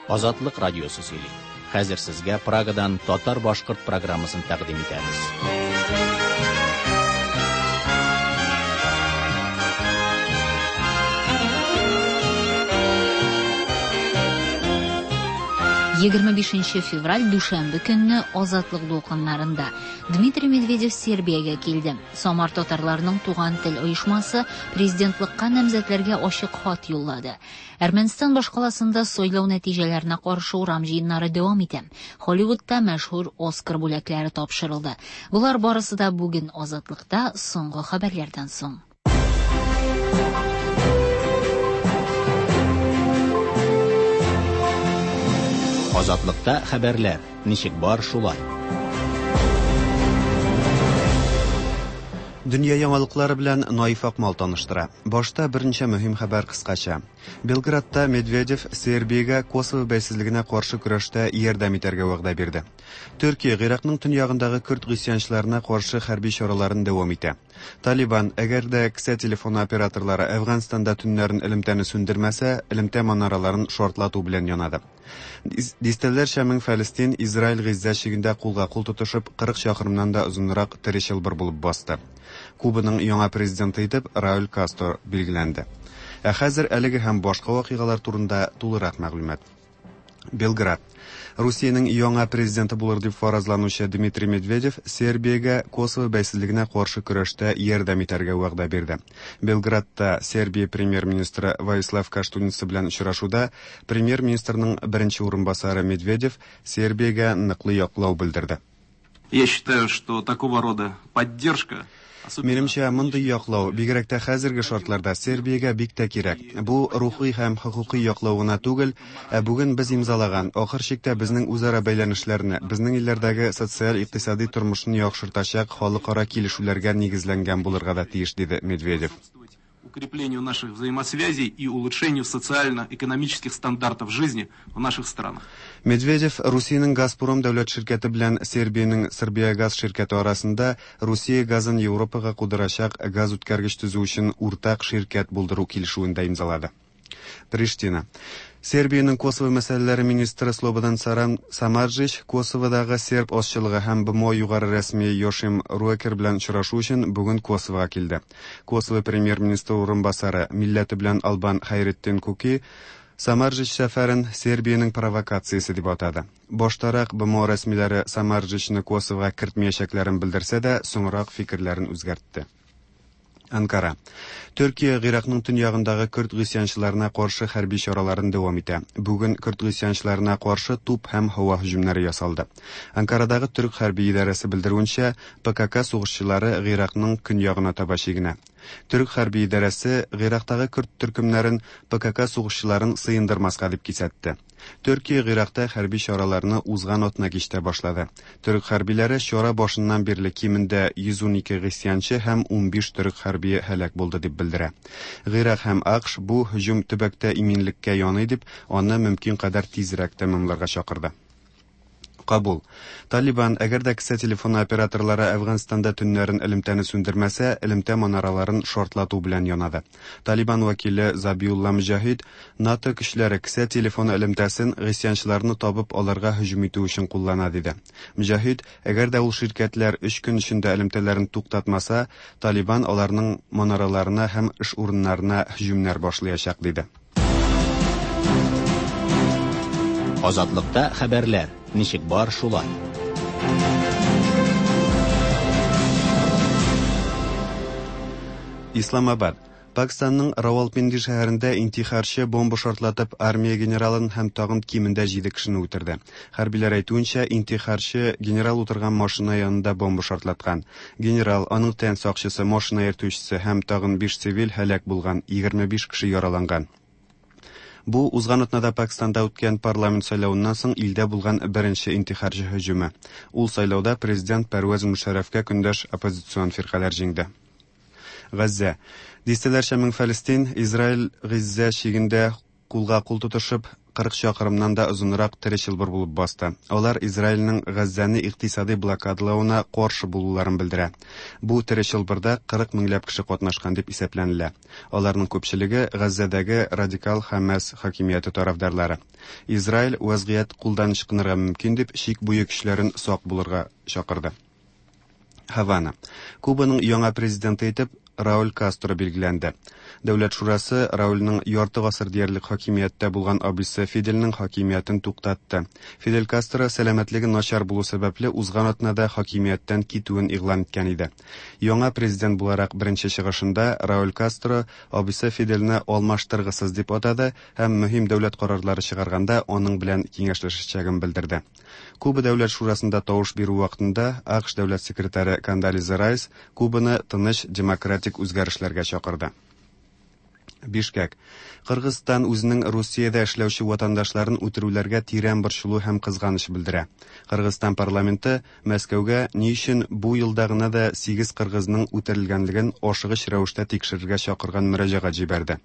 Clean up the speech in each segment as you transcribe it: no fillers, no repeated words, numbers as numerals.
Азатлык радиосы сөйли. Хәзер сезгә Прагадан татар-башкорт программасын тәкъдим итәбез. 25 февраль дүшәмбе көнне Азатлык дулкыннарында Дмитрий Медведев Сербиягә килде. Самар татарларының Туган тел оешмасы президентлыкка намзәтләргә ачык хат юллады. Әрмәнстан башкаласында сайлау нәтиҗәләренә каршы урам җыеннары дәвам итә. Холливудта мәшһүр Оскар бүләкләре тапшырылды. Болар барысы да бүген Азатлыкта соңгы хәбәрләрдән соң. Азатлыкта хәбәрләр. Ничек бар, шулай. Дөнья яңалыклары белән Наиф Акмал таныштыра. Башта берничә мөһим хәбәр кыскача. Белградта Медведев Сербиягә Косово бәйсезлегенә каршы көрәштә ярдәм итәргә вәгъдә бирде. Төркия Гыйракның төньягындагы көрд гыйсьянчыларына каршы хәрби чараларын дәвам итә. Талибан, әгәр дә кесә телефоны операторлары Әфганстанда төннәрен элемтәне сүндермәсә, элемтә манараларын шартлату белән янады. Дистәләрчә мең фәлестин Израиль Гыйззә чигендә кулга-кул тотышып, 40 чакрымнан да озынрак тере чылбыр булып басты. Кубаның яңа президенты итеп Рауль Кастро билгеләнде. Ә хәзер әлеге һәм башка вакыйгалар турында тулырак мәгълүмат. Белград. Русиянең яңа президенты булыр дип фаразланучы Дмитрий Медведев Сербиягә Косово бәйсезлегенә каршы көрәштә ярдәм итәргә вәгъдә бирде. Белградта Сербия премьер-министры Воислав Каштуница белән очрашуда премьер-министрның беренче урынбасары Медведев Сербиягә ныклы яклау белдерде. Я считаю, что такого рода поддержка Минемчә, мондый яклау, бигрәк тә хәзерге шартларда, Сербиягә бик тә кирәк. Бу рухи һәм хокукый яклау гына түгел, ә бүген без имзалаган, ахыр чиктә безнең үзара бәйләнешләрне, безнең илләрдәге социаль-икътисади тормышны яхшыртачак халыкара килешүләргә нигезләнгән булырга да тиеш, диде Медведев. Укреплению наших взаимосвязей и улучшению социально-экономических стандартов жизни в наших странах. Медведев Русиянең Газпром дәүләт ширкәте белән Сербиянең Србиягаз ширкәте арасында Русия газын Европага кудырачак газ үткәргеч төзү өчен уртак ширкәт булдыру килешүен дә имзалады. Приштина. Сербиянең Косово мәсьәләләре министры Слободан Саран Самарджич Косоводагы серб азчылыгы һәм БМО югары рәсми Йошим Руэкер белән очрашу өчен бүген Косовога килде. Косово премьер-министры урынбасары, милләте белән албан Хәйретдин Куки Самарджич сәфәрен Сербиянең провокациясе дип атады. Баштарак БМО рәсмиләре Самарджичны Косовога кертмәячәкләрен белдерсә дә, соңрак фикерләрен үзгәртте. Анкара. Төркия Гыйракның төньягындагы көрд гыйсьянчыларына каршы хәрби чараларын дәвам итә. Бүген көрд гыйсьянчыларына каршы туп һәм һава һөҗүмнәре ясалды. Анкарадагы төрек хәрби идарәсе белдерүенчә, ПКК сугышчылары Гыйракның көньягына таба чигенә. Төрек хәрби идарәсе Гыйрактагы көрд төркемнәрен ПКК сугышчыларын сыендырмаска дип кисәтте. Төркия Гыйракта хәрби чараларны узган атна кичтә башлады. Төрек хәрбиләре чара башыннан бирле кимендә 112 гыйсьянчы һәм 15 төрек хәрбие һәлак булды дип белдерә. Гыйрак һәм АКШ бу һөҗүм төбәктә иминлеккә яный дип, аны мөмкин кадәр тизрәк тәмамларга чакырды. Кабул. Талибан, әгәр дә кесә телефоны операторлары Әфганстанда төннәрен элемтәне сүндермәсә, элемтә манараларын шартлату белән янады. Талибан вәкиле Забиулла Мөҗәһид НАТО көчләре кесә телефоны элемтәсен гыйсьянчыларны табып аларга һөҗүм итү өчен куллана диде. Мөҗәһид, әгәр дә ул ширкәтләр 3 көн эчендә элемтәләрен туктатмаса, Талибан аларның манараларына һәм эш урыннарына һөҗүмнәр башлаячак диде. Азатлыкта хәбәрләр. Ничек бар, шулай. Исламабад. Пакистанның Равалпинди шәһәрендә интихарчы бомба шартлатып армия генералын һәм тагын кимендә 7 кешене үтерде. Хәрбиләр әйтүенчә, интихарчы генерал утырган машина янында бомба шартлаткан. Генерал, аның тән сакчысы, машина йөртүчесе һәм тагын 5 цивиль һәлак булган, 25 кеше яраланган. Бу узган атнада Пакистанда үткән парламент сайлавыннан соң илдә булган беренче интихарчы һөҗүме. Ул сайлауда президент Пәрвәз Мушәррәфкә көндәш оппозицион фиркаләр җиңде. Газзә. Дистәләрчә мең фәлестин Израиль Гыйззә чигендә кулга кул тотышып, 40 чакрымнан да озынрак тере чылбыр булып басты. Алар Израильнең Газзәне икътисадый блокадалавына каршы булуларын белдерә. Бу тере чылбырда 40 меңләп кеше катнашкан дип исәпләнелә. Аларның күпчелеге Газзәдәге радикал Хәмәс хакимияте тарафдарлары. Израиль вәзгыять кулдан ычкынырга мөмкин дип чик буе көчләрен сак булырга чакырды. Һавана. Кубаның яңа президенты итеп Рауль Кастро билгеләнде. Дәүләт шурасы Раульның ярты гасыр диярлек хакимияттә булган абыйсы Фидельнең хакимиятен туктатты. Фидель Кастро сәламәтлеге начар булу сәбәпле узган атнада хакимияттән китүен игълан иткән иде. Яңа президент буларак беренче чыгышында Рауль Кастро абыйсы Фидельне алмаштыргысыз дип атады һәм мөһим дәүләт карарлары чыгарганда аның белән киңәшләшәчәген белдерде. Куба дәүләт шурасында тавыш бирү вакытында АКШ дәүләт секретаре Кондолиза Райс Кубаны тыныч демократик үзгәрешләргә чакырды. Бишкек. Кыргызстан үзенең Русиядә эшләүче ватандашларын үтерүләргә тирән борчылу һәм кызганыч белдерә. Кыргызстан парламенты Мәскәүгә ни өчен бу елда гына да 8 кыргызның үтерелгәнлеген ашыгыч рәвештә тикшерергә чакырган мөрәҗәгать җибәрде.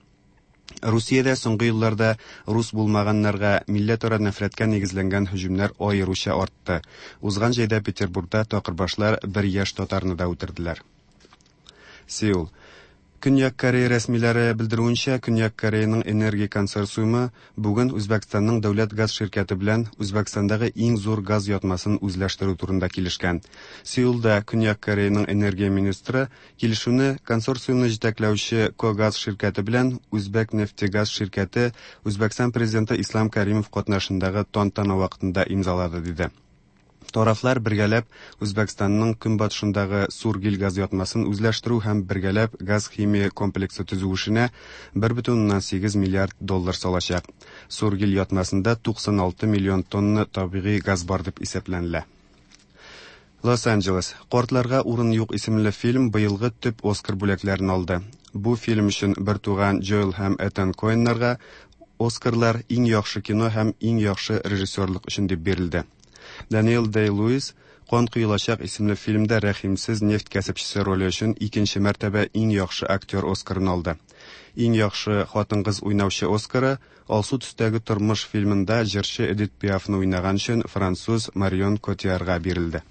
Русиядә соңгы елларда рус булмаганнарга милләтара нәфрәткә нигезләнгән һөҗүмнәр аеруча артты. Узган җәйдә Петербургта такырбашлар бер яшь татарны да үтерделәр. Сеул. Көньяк Корея рәсмиләре белдерүенчә, Көньяк Кореяның энергия консорциумы бүген Үзбәкстанның дәүләт газ ширкәте белән Үзбәкстандагы иң зур газ ятмасын үзләштерү турында килешкән. Сеулда Көньяк Кореяның энергия министры килешүне консорциумны җитәкләүче Когаз ширкәте белән Үзбәкнефтегаз ширкәте Үзбәкстан президенты Ислам Каримов катнашындагы тантана вакытында имзалады, диде. Тарафлар бергәләп Үзбәкстанның көнбатышындагы Сургил газ ятмасын үзләштерү һәм бергәләп газ-химия комплексы төзү эшенә 1,8 миллиард доллар салачак. Сургил ятмасында 96 миллион тонна табигый газ бар дип исәпләнелә. Лос-Анджелес. Картларга урын юк исемле фильм быелгы төп Оскар бүләкләрен алды. Бу фильм өчен бертуган Джоэл һәм Этан Коэннарга Оскарлар иң яхшы кино һәм иң яхшы режиссерлык өчен дип бирелде. Даниэл Дэй-Луис Кан коелачак исемле фильмда рәхимсез нефть кәсепчесе роле өчен икенче мәртәбә иң яхшы актер Оскарын алды. Иң яхшы хатын-кыз уйнаучы Оскары Алсу төстәге тормыш фильмында җырчы Эдит Пиафны уйнаган өчен француз Марион Котиярга бирелде.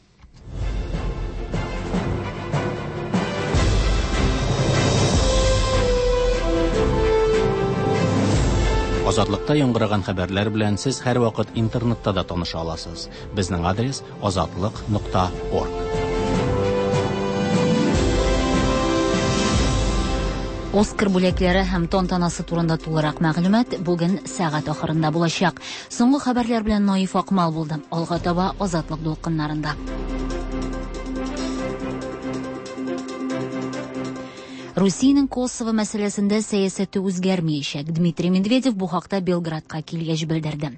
Азатлыкта яңгыраган хәбәрләр белән сез һәрвакыт интернетта да таныша аласыз. Безнең адрес azatliq.org. Оскар бүләкләре һәм тантанасы турында тулырак мәгълүмат бүген сәгать ахырында булачак. Соңгы хәбәрләр белән Наиф Акмал булды. Алга таба Азатлык дулкыннарында. Русиянең Косово мәсьәләсендә сәясәте үзгәрмәячәк. Дмитрий Медведев бу хакта Белградка килгәч белдерде.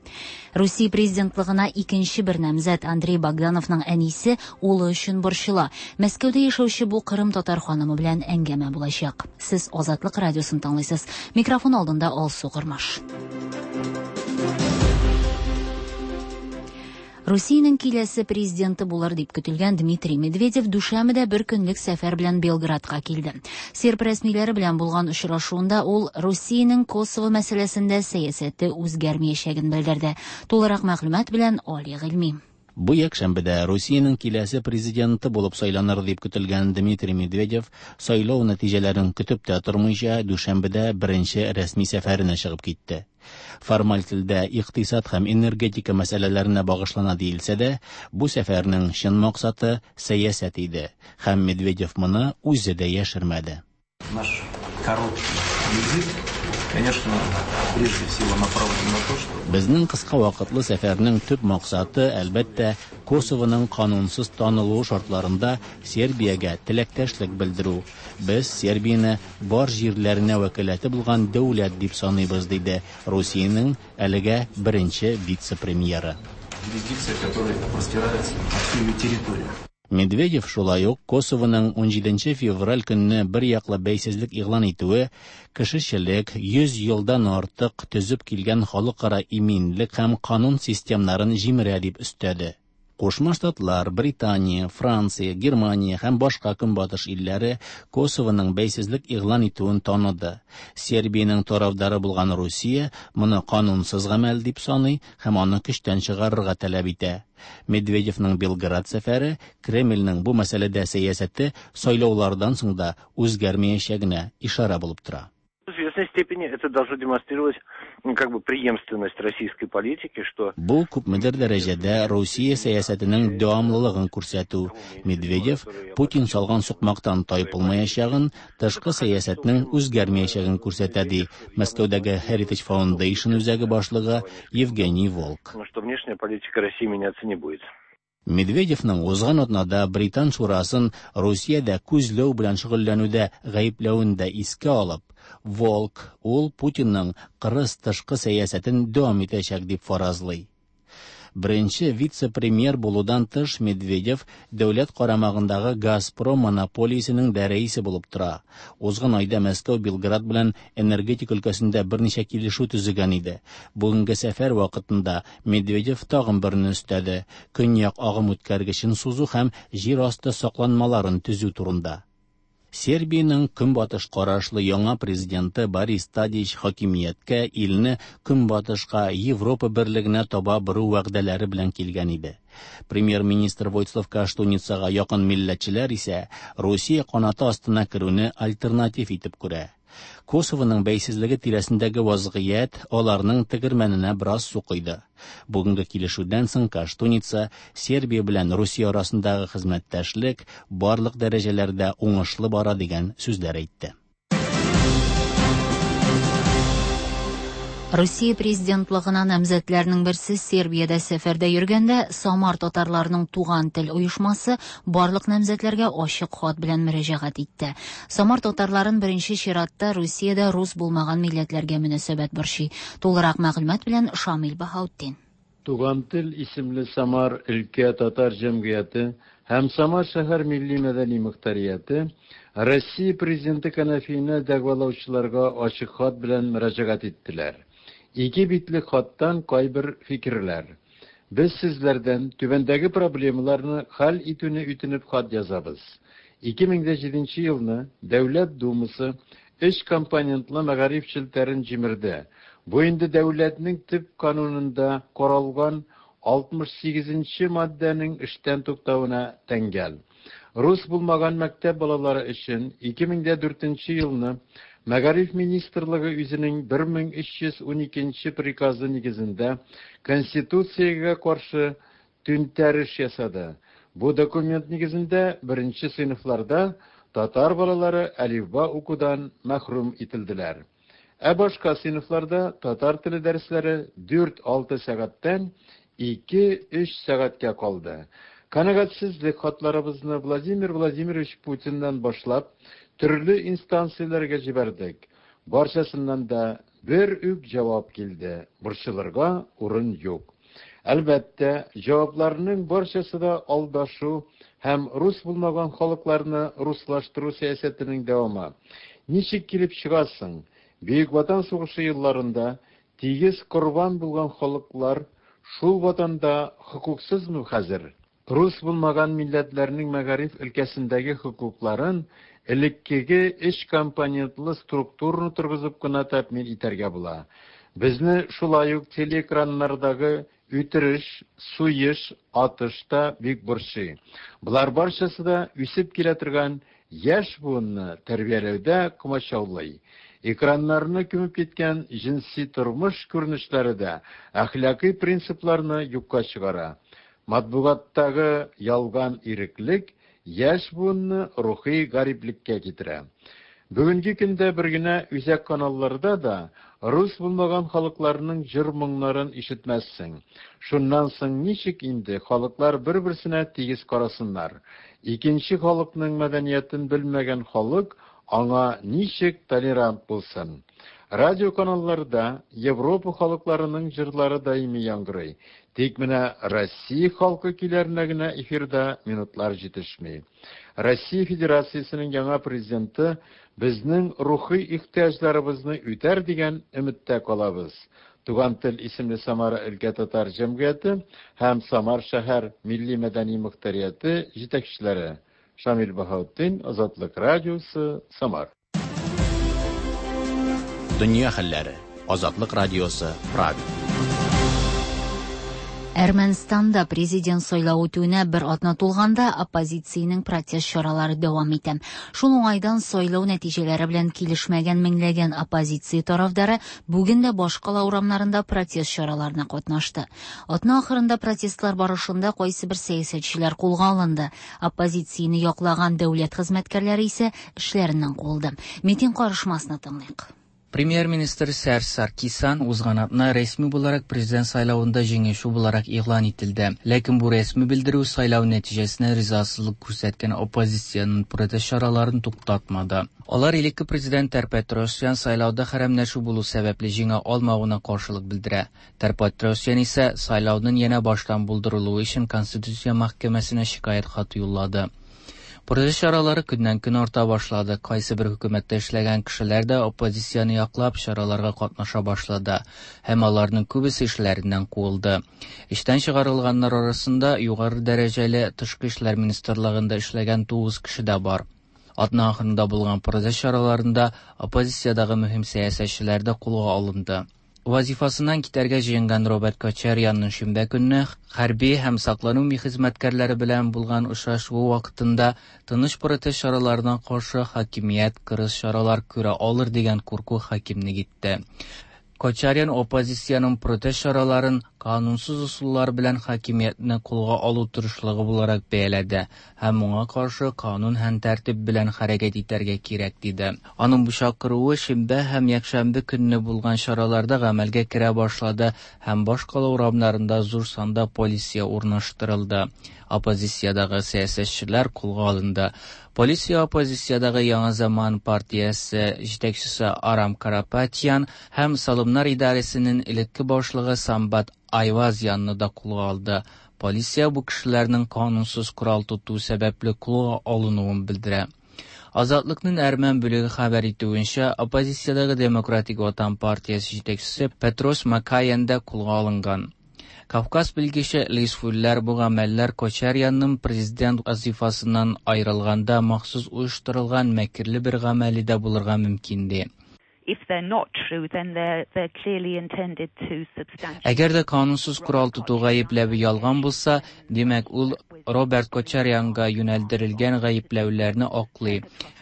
Русия президентлыгына икенче бер намзәт Андрей Богдановның әнисе улы өчен борчыла. Мәскәүдә яшәүче бу Кырым татар ханымы белән әңгәмә булачак. Сез Азатлык радиосын тыңлыйсыз. Микрофон алдында Алсу Кормаш. Русиянең киләсе президенты булыр дип көтелгән Дмитрий Медведев дүшәмбедә бер көнлек сәфәр белән Белградка килде. Серб рәсмиләре белән булган очрашуында ул Русиянең Косово мәсьәләсендә сәясәте үзгәрмәячәген белдерде. Тулырак мәгълүмат белән Али Гыйльми. Бу якшәмбедә Русиянең киләсе президенты булып сайланыр дип көтелгән Дмитрий Медведев сайлау нәтиҗәләрен көтеп тә тормыйча дүшәмбедә беренче рәсми сәфәренә чыгып китте. Формаль телдә икътисад һәм энергетика мәсьәләләренә багышлана диелсә дә, бу сәфәрнең чын максаты сәясәт иде, һәм Медведев моны үзе дә яшермәде. Наш короткий визит, конечно, прежде всего направлен на то, что Безнең кыска вакытлы сәфәрнең төп максаты, әлбәттә, Косовоның канунсыз танылуы шартларында Сербиягә теләктәшлек белдерү. Без Сербияне бар җирләренә вәкаләте булган дәүләт дип саныйбыз, диде Русиянең әлегә беренче вице-премьеры. юрисдикция, которая простирается на всю ее территорию. Медведев шулай ук Косовоның 17 февраль көнне бер яклы бәйсезлек игълан итүе кешечелек 100 елдан артык төзеп килгән халыкара иминлек һәм канун системнарын җимерә дип өстәде. Кушма Штатлар, Британия, Франция, Германия һәм башка көнбатыш илләре Косовоның бәйсезлек игълан итүен таныды. Сербиянең тарафдары булган Русия моны канунсыз гамәл дип саный һәм аны көчтән чыгарырга таләп итә. Медведевның Белград сәфәре Кремльнең бу мәсьәләдә сәясәте сайлаулардан соң да үзгәрмәячәгенә ишарә булып тора. В известной степени это должно демонстрировать, ну, как бы преемственность российской политики, что Бу күпмедер дәрәҗәдә Русия сәясәтенең дәвамлылыгын күрсәтү. Медведев Путин салган сукмактан тайпылмаячагын, тышкы сәясәтнең үзгәрмәячәген күрсәтә, ди Мәскәүдәге Heritage Foundation үзәге башлыгы Евгений Волк. Что внешняя политика России меняться не будет. Медведевның узган атнада Британ шурасын Русиядә күзләү белән шөгыльләнүдә гаепләвен дә искә алып, Волк ул Путинның кырыс тышкы сәясәтен дәвам итәчәк дип фаразлый. Беренче вице-премьер булудан тыш Медведев дәүләт карамагындагы Газпром монополиясенең дә рәисе булып тора. Узган айда Мәскәү Белград белән энергетика өлкәсендә берничә килешү төзегән иде. Бүгенге сәфәр вакытында Медведев тагын берне өстәде: Көньяк агым үткәргечен сузу һәм җир асты сакланмаларын төзү турында. Сербиянең көнбатыш карашлы яңа президенты Борис Тадич хакимияткә илне көнбатышка, Европа берлегенә таба бору вәгъдәләре белән килгән иде. Премьер-министр Войслав Каштуницага якын милләтчеләр исә Русия канаты астына керүне альтернатив итеп күрә. Косовоның бәйсезлеге тирәсендәге вазгыять аларның тегермәненә бераз су койды. Бүгенге килешүдән соң Каштуница Сербия белән Русия арасындагы хезмәттәшлек барлык дәрәҗәләрдә уңышлы бара дигән сүзләр әйтте. Русия президентлыгына намзәтләрнең берсе Сербиядә сәфәрдә йөргәндә Самар татарларының Туган тел оешмасы барлык намзәтләргә ачык хат белән мөрәҗәгать итте. Самар татарларын беренче чиратта Русиядә рус булмаган милләтләргә мөнәсәбәт борчый. Тулырак мәгълүмат белән Шамил Баһаутдин. Туган тел исемле Самар өлкә татар җәмгыяте һәм Самар шәһәр милли мәдәни мөхтәрияте Россия президенты кәнәфиенә дәгъвалаучыларга ачык хат белән мөрәҗәгать иттеләр. Ике битлек хаттан кайбер фикерләр. Без сезләрдән түбәндәге проблемаларны хәл итүне үтенеп хат язабыз. 2007 елны Дәүләт Думасы өч компонентлы мәгариф челтәрен җимерде. Бу инде дәүләтнең төп канунында каралган 68 маддәнең эштән туктавына тәңгәл. Рус булмаган мәктәп балалары өчен 2004 елны Мәгариф министрлыгы үзенең 1312 приказы нигезендә Конституциягә каршы түнтәреш ясады. Бу документ нигезендә беренче сыйныфларда татар балалары әлифба укудан мәхрүм ителделәр. Ә башка сыйныфларда татар теле дәресләре 4-6 сәгатьтән 2-3 сәгатькә калды. Канәгатьсезлек хатларыбызны Владимир Владимирович Путиннан башлап төрле инстанцияләргә җибәрдек. Барчасыннан да бер үк җавап килде: борчылырга урын юк. Әлбәттә, җавапларның барчасы да алдашу һәм рус булмаган халыкларны руслаштыру сәясәтенең дәвамы. Ничек килеп чыгасың? Бөек Ватан сугышы елларында тигез корбан булган халыклар шул ватанда хокуксызмы хәзер? Рус булмаган милләтләрнең мәгариф өлкәсендәге хокукларын элеккеге өч компонентлы структураны торгызып кына тәэмин итәргә була. Безне шулай ук телеэкраннардагы үтереш, суеш, атыш та бик борчый. Болар барчасы да үсеп килә торган яшь буынны тәрбияләүдә комачаулый. Экраннарны күмеп киткән җенси тормыш күренешләре дә әхлакый принципларны юкка чыгара. Матбугаттагы ялган иреклек яшь буынны рухи гариплеккә китерә. Бүгенге көндә бер генә үзәк каналларда да рус булмаган халыкларның җыр-моңнарын ишетмәссең. Шуннан соң ничек инде халыклар бер-берсенә тигез карасыннар? Икенче халыкның мәдәниятен белмәгән халык аңа ничек толерант булсын? Радио каналларда Европа халыкларының җырлары даими яңгырый. Тик менә Россия халкы көйләренә генә эфирда минутлар җитешми. Россия Федерациясенең яңа президенты безнең рухи ихтыяҗларыбызны үтәр дигән өметтә калабыз. Туган тел исемле Самара өлкә татар җәмгыяте һәм Самар шәһәр милли-мәдәни мохтарияте җитәкчеләре. Шамил Баһаутдин, Азатлык радиосы, Самар. Дөнья хәлләре. Азатлык радиосы, Прага. Әрмәнстанда президент сайлау үтүенә бер атна тулганда оппозициянең протест чаралары дәвам итә. Шул уңайдан сайлау нәтиҗәләре белән килешмәгән меңләгән оппозиция тарафдары бүген дә башкала урамнарында протест чараларына катнашты. Атна ахырында протестлар барышында кайсыбер сәясәтчеләр кулга алынды. Оппозицияне яклаган дәүләт хезмәткәрләре исә эшләреннән куылды. Митинг карышмасны тыңлыйк. Премьер-министр Серж Саркисян узган атна рәсми буларак президент сайлавында җиңүче буларак игълан ителде. Ләкин бу рәсми белдерү сайлау нәтиҗәсенә ризасызлык күрсәткән оппозициянең протест чараларын туктатмады. Алар элекке президент Тер-Петросян сайлауда хәрәмләшү булу сәбәпле җиңә алмавына каршылык белдерә. Тер-Петросян исә сайлауның янә баштан булдырылуы өчен Конституция мәхкәмәсенә шикаять хаты юллады. Протест чаралары көннән-көн арта башлады. Кайсы бер хөкүмәттә эшләгән кешеләр дә оппозицияне яклап чараларга катнаша башлады һәм аларның күбесе эшләреннән куылды. Эштән чыгарылганнар арасында югары дәрәҗәле тышкы эшләр министрлыгында эшләгән 9 кеше дә бар. Атна ахырында булган протест чараларында оппозициядәге мөһим сәясәтчеләр дә кулга алынды. Вазифасыннан китәргә җыенган Роберт Кочарянның шимбә көнне хәрби һәм саклану хезмәткәрләре белән булган очрашуы вакытында тыныч протест чараларына каршы хакимият кырыс чаралар күрә алыр дигән курку хакимлек итте. Кочарян оппозициянең протест чараларын канунсыз ысуллар белән хакимиятне кулга алу тырышлыгы буларак бәяләде һәм моңа каршы канун һәм тәртип белән хәрәкәт итәргә кирәк диде. Аның бу чакыруы шимбә һәм якшәмбе көнне булган чараларда гамәлгә керә башлады һәм башкала урамнарында зур санда полиция урнаштырылды. Оппозициядәге сәясәтчеләр кулга алынды. Полиция оппозициядәге Яңа заман партиясе җитәкчесе Арам Карапатян һәм Салымнар идарәсенең элекке башлыгы Самбат Айвазянны да кулга алды. Полиция бу кешеләрнең канунсыз корал тоту сәбәпле кулга алынуын белдерә. Азатлыкның әрмән бүлеге хәбәр итүенчә, оппозициядәге Демократик Ватан партиясе җитәкчесе Петрос Макаян да кулга алынган. Кавказ белгече Лиз Фуллер бу гамәлләр Кочарянның президент вазифасыннан аерылганда махсус оештырылган мәкерле бер гамәле дә булырга мөмкин ди. If they're not true, then they're clearly intended to substantially. Әгәр дә канунсыз корал тоту гаепләве ялган булса, димәк ул Роберт Кочарянга юнәлдерелгән гаепләүләрне аклый.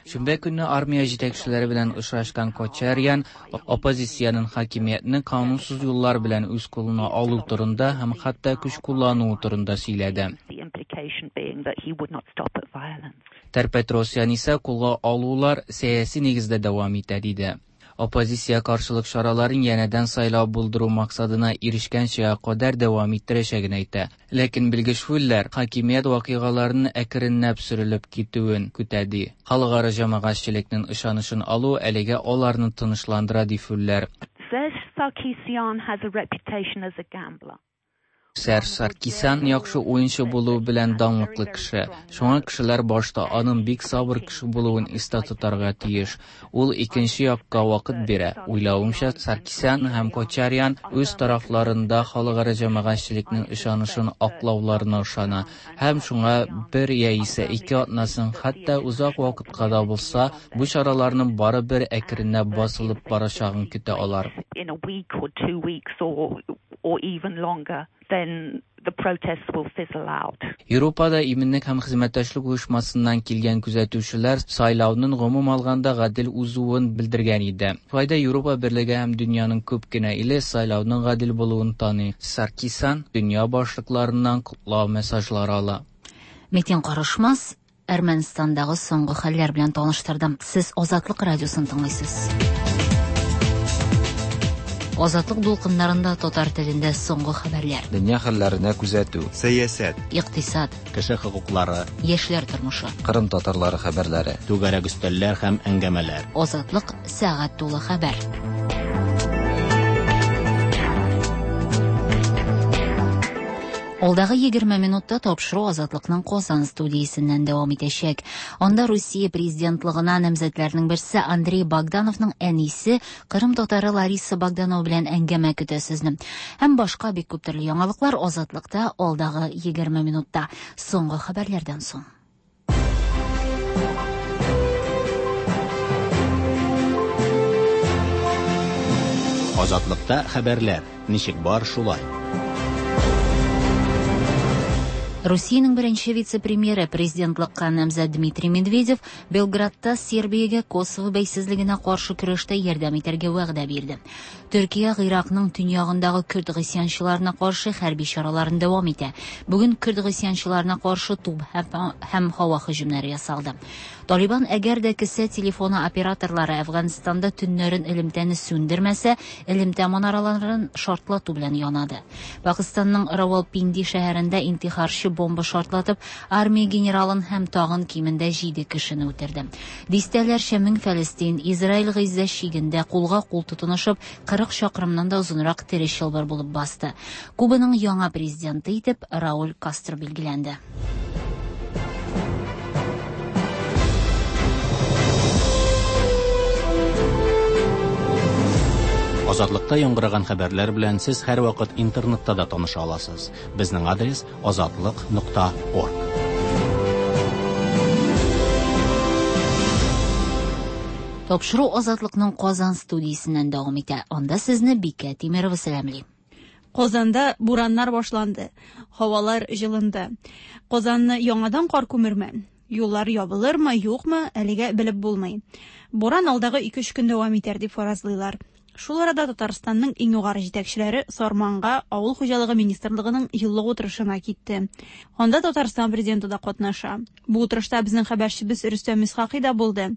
Шимбә көнне армия җитәкчеләре белән очрашкан Кочарян оппозициянең хакимиятне канунсыз юллар белән үз кулына алу турында һәм хәтта көч куллануы турында сөйләде. The implication being that he would not stop at violence. Тер-Петросян исә кулга алулар сәяси нигездә дәвам итә диде. Оппозиция каршылык чараларын янәдән сайлау булдыру максатына ирешкәнчә кадәр дәвам иттерәчәген әйтә. Ләкин белгеч Фуллер хакимият вакыйгаларының әкренләп сүрелеп китүен көтә ди. Халыкара җәмәгатьчелекнең ышанычын алу әлегә аларны тынычландыра ди Фуллер. Serge Sarkisyan has a reputation as a gambler. Серж Саркисян яхшы уенчы булуы белән данлыклы кеше. Шуңа кешеләр башта аның бик сабыр кеше булуын истә тотарга тиеш. Ул икенче якка вакыт бирә. Уйлавымча, Саркисян һәм Кочарян үз тарафларында халыкара җәмәгатьчелекнең ышанычын аклауларына ышана һәм шуңа бер яисә ике атнасын, хәтта озак вакытка да булса, бу чараларның барыбер әкренләп басылып барачагын көтә алар. In a week or 2 weeks or even longer, then the protests will fizzle out. Европада иминлек һәм хезмәттәшлек оешмасыннан килгән күзәтүчеләр сайлауның гомум алганда гадел узуын белдергән иде. Шулай да Европа берлеге һәм дөньяның күп кенә иле сайлауның гадел булуын таный. Саркисян дөнья башлыкларыннан котлау мессажлары ала. Метин Карышмас Әрмәнстандагы соңгы хәлләр белән таныштырды. Сез Азатлык радиосын тыңлыйсыз. Азатлык дулкыннарында татар телендә соңгы хәбәрләр. Дөнья хәлләренә күзәтү. Сәясәт. Икътисад. Кеше хокуклары. Яшьләр тормышы. Кырым татарлары хәбәрләре. Түгәрәк өстәлләр һәм әңгәмәләр. Азатлык сәгать тулы хәбәр. Алдагы 20 минутта тапшыру Азатлыкның Казан студиясеннән дәвам итәчәк. Анда Русия президентлыгына намзәтләрнең берсе Андрей Богдановның әнисе, Кырым татары Лариса Богданова белән әңгәмә көтә сезне. Һәм башка бик күп төрле яңалыклар Азатлыкта алдагы 20 минутта. Соңгы хәбәрләрдән соң. Азатлыкта хәбәрләр. Ничек бар шулай. Русиянең беренче вице-премьеры президентлыкка намзәт Дмитрий Медведев Белградта Сербиягә Косово бәйсезлегенә каршы көрәштә ярдәм итәргә вәгъдә бирде. Төркия Гыйракның төньягындагы көрд гыйсьянчыларына каршы хәрби чараларын дәвам итә. Бүген көрд гыйсьянчыларына каршы туп һәм һава һөҗүмнәре ясалды. Талибан әгәр дә кесә телефоны операторлары Әфганстанда төннәрен элемтәне сүндермәсә, элемтә манараларын шартлату белән янады. Пакистанның Равалпинди шәһәрендә интихарчы бомба шартлатып, армия генералын һәм тагын кимендә 7 кешене үтерде. Дистәләрчә мең фәлестин Израиль Гыйззә чигендә кулга кул тотынышып, 40 чакрымнан да озынрак тере чылбыр булып басты. Кубаның яңа президенты итеп Рауль Кастро билгеләнде. Азатлыкта яңгыраган хәбәрләр белән сез һәрвакыт интернетта да таныша аласыз. Безнең адрес azatliq.org. Тапшыру Азатлыкның Казан студиясеннән дәвам итә. Анда сезне Бикә Тимерова сәламли. Казанда бураннар башланды. Һавалар җылынды. Казанны яңадан кар күмерме? Юллар ябылырмы, юкмы, әлегә белеп булмый. Буран алдагы 2-3 көн дәвам итәр дип фаразлыйлар. Шул арада Татарстанның иң югары җитәкчеләре Сарманга Авыл хуҗалыгы министрлыгының еллык утырышына китте. Анда Татарстан президенты да катнаша. Бу утырышта безнең хәбәрчебез Рөстәм Исхакый да булды.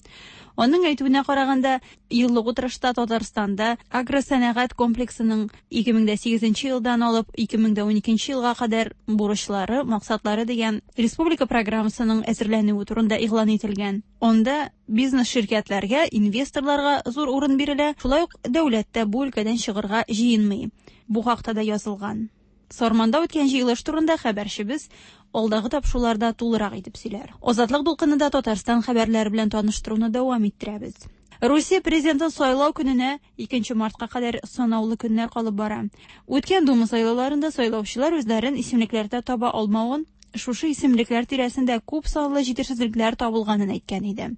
Аның әйтүенә караганда, еллык утырышта Татарстанда агросәнәгать комплексының 2008 елдан алып 2012 елга кадәр бурычлары, максатлары дигән республика программасының әзерләнүе турында игълан ителгән. Анда бизнес ширкәтләргә, инвесторларга зур урын бирелә, шулай ук дәүләт тә бу өлкәдән чыгарга җыенмый. Бу хакта да язылган. Сарманда үткән җыелыш турында хәбәрчебез алдагы тапшыруларда тулырак итеп сөйләр. Азатлык дулкынында Татарстан хәбәрләре белән таныштыруны дәвам иттерәбез. Русия президентын сайлау көненә 2 мартка кадәр санаулы көннәр калып бара. Үткән Дума сайлауларында сайлаучылар үзләрен исемлекләрдә таба алмавын, шушы исемлекләр тирәсендә күп санлы җитешсезлекләр табылганын әйткән иде.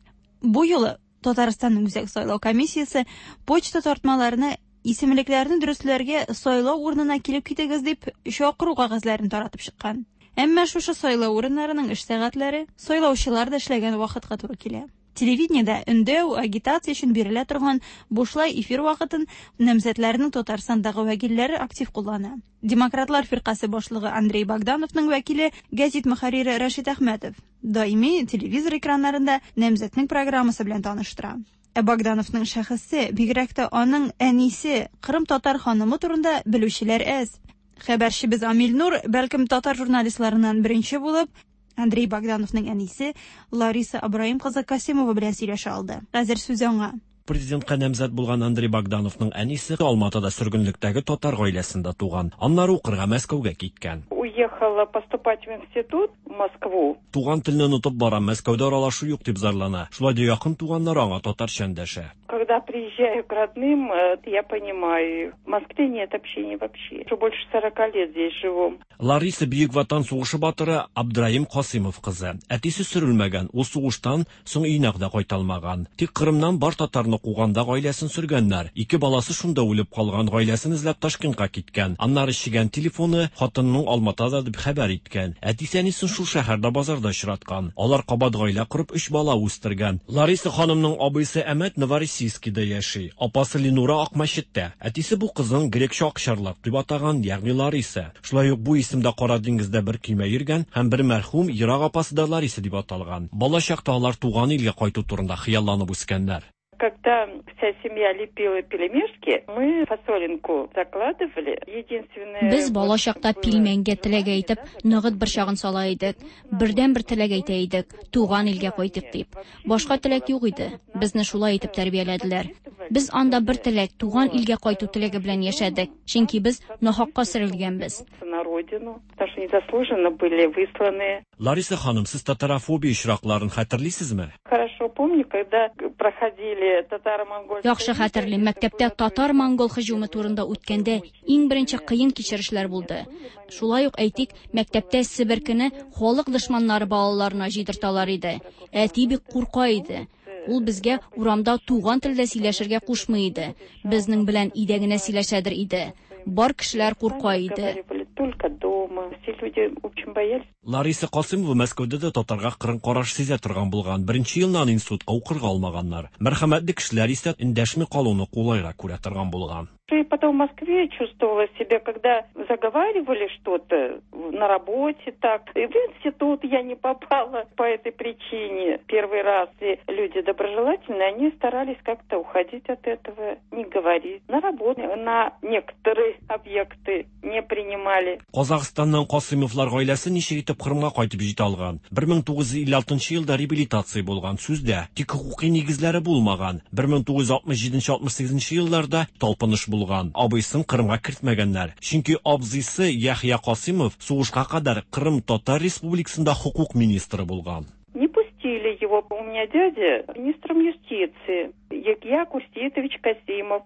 Бу юлы Татарстанның Үзәк сайлау комиссиясе почта тартмаларына исемлекләрне дөресләргә сайлау урынына килеп китегез дип чакыру кәгазьләрен таратып чыккан. Әмма шушы сайлау урыннарының эш сәгатьләре сайлаучылар да эшләгән вакытка туры килә. Телевидениедә өндәү, агитация өчен бирелә торган бушлай эфир вакытын намзәтләрнең Татарстандагы вәкилләре актив куллана. Демократлар фиркасе башлыгы Андрей Богдановның вәкиле газет мөхәррире Рәшит Әхмәтов даими телевизор экраннарында намзәтнең программасы белән таныштыра. Ә Богдановның шәхесе, бигрәк тә аның әнисе Кырым татар ханымы турында белүчеләр әз. Хәбәрчебез Амил Нур, бәлкем татар журналистларыннан беренче булып, Андрей Богдановның әнисе Лариса Абраим кызы Касимова белән сөйләшә алды. Хәзер сүз аңа. Президентка намзәт булган Андрей Богдановның әнисе Алматыда сөргенлектәге татар гаиләсендә туган. Аннары укырга Мәскәүгә киткән. Уехала поступать в институт в Москву. Туган телне онытып барам, Мәскәүдә аралашу юк дип зарлана. Шулай да якын туганнар аңа татарча эндәшә. Когда приезжаю к родным, я понимаю, в Москве нет общения вообще. Уже больше 40 лет здесь живу. Лариса Бөек Ватан сугышы батыры Абдраим Касимов кызы. Әтисе сөрелмәгән, ул сугыштан соң өенә дә кайта алмаган. Тик Кырымнан бар татарны куганда гаиләсен сөргәннәр. Ике баласы шунда үлеп калган, гаиләсен эзләп Ташкентка киткән. Аннары чигән телефоны хатынының Алматада дип хәбәр иткән. Әтисе әнисен шул шәһәрдә базарда очраткан. Алар кабат гаилә корып 3 бала үстергән. Лариса ханымның абыйсы Әмәт Новороссийскида яши. Апасы Ленура Акмәчеттә. Әтисе бу кызын грекча акчарлак дип атаган, ягъни Лариса. Шулай ук бу исемдә Кара диңгездә бер көймә йөргән һәм бер мәрхүм ерак апасы да Лариса дип аталган. Бала чакта алар туган илгә кайту турында хыялланып үскәннәр. Когда вся семья лепила пельмешки, мы фасолинку закладывали. Единственное, Без бала чакта пилмәнгә теләк әйтеп, ногыт борчагын сала идек. Бердән-бер теләк әйтә идек, туган илгә кайтыйк дип. Башка теләк юк иде. Безне шулай итеп тәрбияләделәр. Без анда бер теләк, туган илгә кайту теләге белән яшәдек, чөнки без нахакка сөрелгәнбез. На родину, потому что незаслуженно были высланы. Лариса ханым, сез татарофобия очракларын хәтерлисезме? Хорошо помню, когда проходили татаро-монгольские... Яхшы хәтерлим, мәктәптә татар-монгол һөҗүме турында үткәндә иң беренче кыен кичерешләр булды. Шулай ук, әйтик, мәктәптә себеркене халык дошманнары балаларына җыйдырталар иде. Әти бик курка иде. Ул безгә урамда туган телдә сөйләшергә кушмый иде. Безнең белән өйдә генә сөйләшәдер иде. Бар кешеләр курка иде. Только дома. Все люди очень боялись. Лариса Касыймова Мәскәүдә дә татарга кырын караш сизә торган булган. Беренче елны аны институтка укырга алмаганнар. Мәрхәмәтле кешеләр исә эндәшми калуны кулайрак күрә торган булган. И потом в Москве чувствовала себя, когда заговаривали что-то на работе так. И в институт я не попала по этой причине. Первый раз и люди доброжелательные, они старались как-то уходить от этого, не говорить. На работу, на некоторые объекты не принимали. Казахстаннан Касыймовлар гаиләсе ничек итеп Кырымга кайтып җитә алган? 1956 елда реабилитация булган, сүздә, тик хокукый нигезләре булмаган. 1967-68 елларда талпыныш булган. Абыйсын Кырымга кертмәгәннәр. Чөнки абзыйсы Яхья Касыймов сугышка кадәр Кырым Татар Республикасында хокук министры булган. Не пустили его. У меня дядя министром юстиции, Яхья Курсеитович Касимов.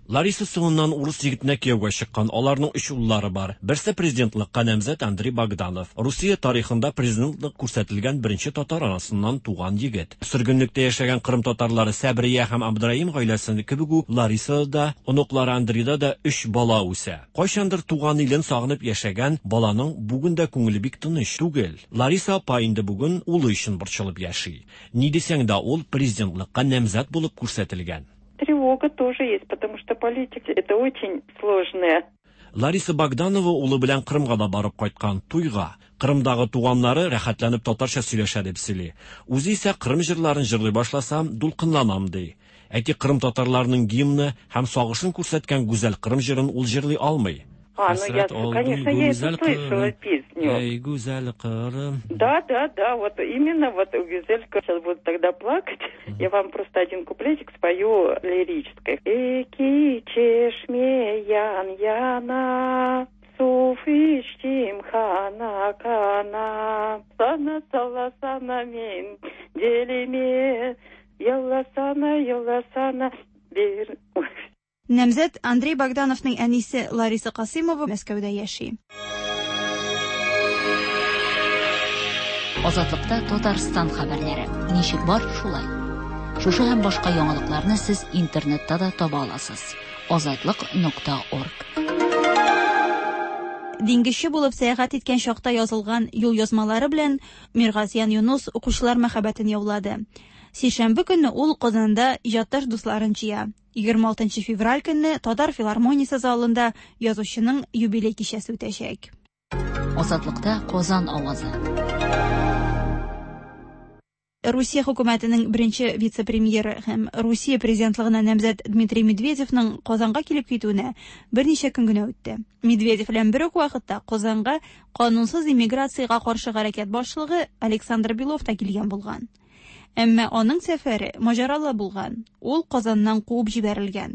Лариса соңыннан урыс егетенә кияүгә чыккан. Аларның өч уллары бар. Берсе президентлыкка намзәт Андрей Богданов. Русия тарихында президентлык күрсәтелгән беренче татар анасыннан туган егет. Сөргенлектә яшәгән Кырым татарлары Сәбрия һәм Абдраим гаиләсе кебек үк Ларисада да, оныклары Андрейда да өч бала үсә. Кайчандыр туган илен сагынып яшәгән баланың бүген дә күңеле бик тыныч түгел. Лариса апа инде бүген улы өчен борчылып яши. Ни дисәң дә, ул президентлыкка намзәт булып күрсәтелгән. Тревога тоже есть, потому что политика это очень сложная. Лариса Богданова улы белән Кырымга да барып кайткан туйга. Кырымдагы туганнары рәхәтләнеп татарча сөйләшә дип сөйли. Үзе исә Кырым җырларын җырлый башласам, дулкынланам ди. Әйтик, Кырым татарларының гимны һәм сагышын күрсәткән гүзәл Кырым җырын ул җырлый алмый. А, ну я, конечно, я эту слышала песню. Эй, гүзәл Кырым. Да, да, да, вот именно вот Гюзелька сейчас буду тогда плакать. Я вам просто один куплетик спою лирической. Эки чешме ян яна, сув ичтим хана кана, сана сала сана мен делиме, ялла сана, ялла сана, бир. Намзәт Андрей Богдановның әнисе Лариса Касыймова Мәскәүдә яши. Азатлыкта Татарстан хәбәрләре. Ничек бар, шулай. Шушы һәм башка яңалыкларны сез интернетта да таба аласыз. Азатлык.орг. Диңгезче булып сәяхәт иткән чакта язылган юл язмалары белән Миргазиян Юнус укучылар мәхәббәтен яулады. Сишәмбе көнне ул Казанда иҗатташ дусларын җыя. 26 февраль көнне Татар филармониясе залында язучының юбилей кичәсе үтәчәк. Азатлыкта Казан авазы. Русия хөкүмәтенең беренче вице-премьеры һәм Русия президентлыгына намзәт Дмитрий Медведевның Казанга килеп китүенә берничә көн генә үтте. Медведев белән бер үк вакытта Казанга канунсыз иммиграциягә каршы хәрәкәт башлыгы Александр Белов та килгән булган. Әмма аның сәфәре маҗаралы булган. Ул Казаннан куып җибәрелгән.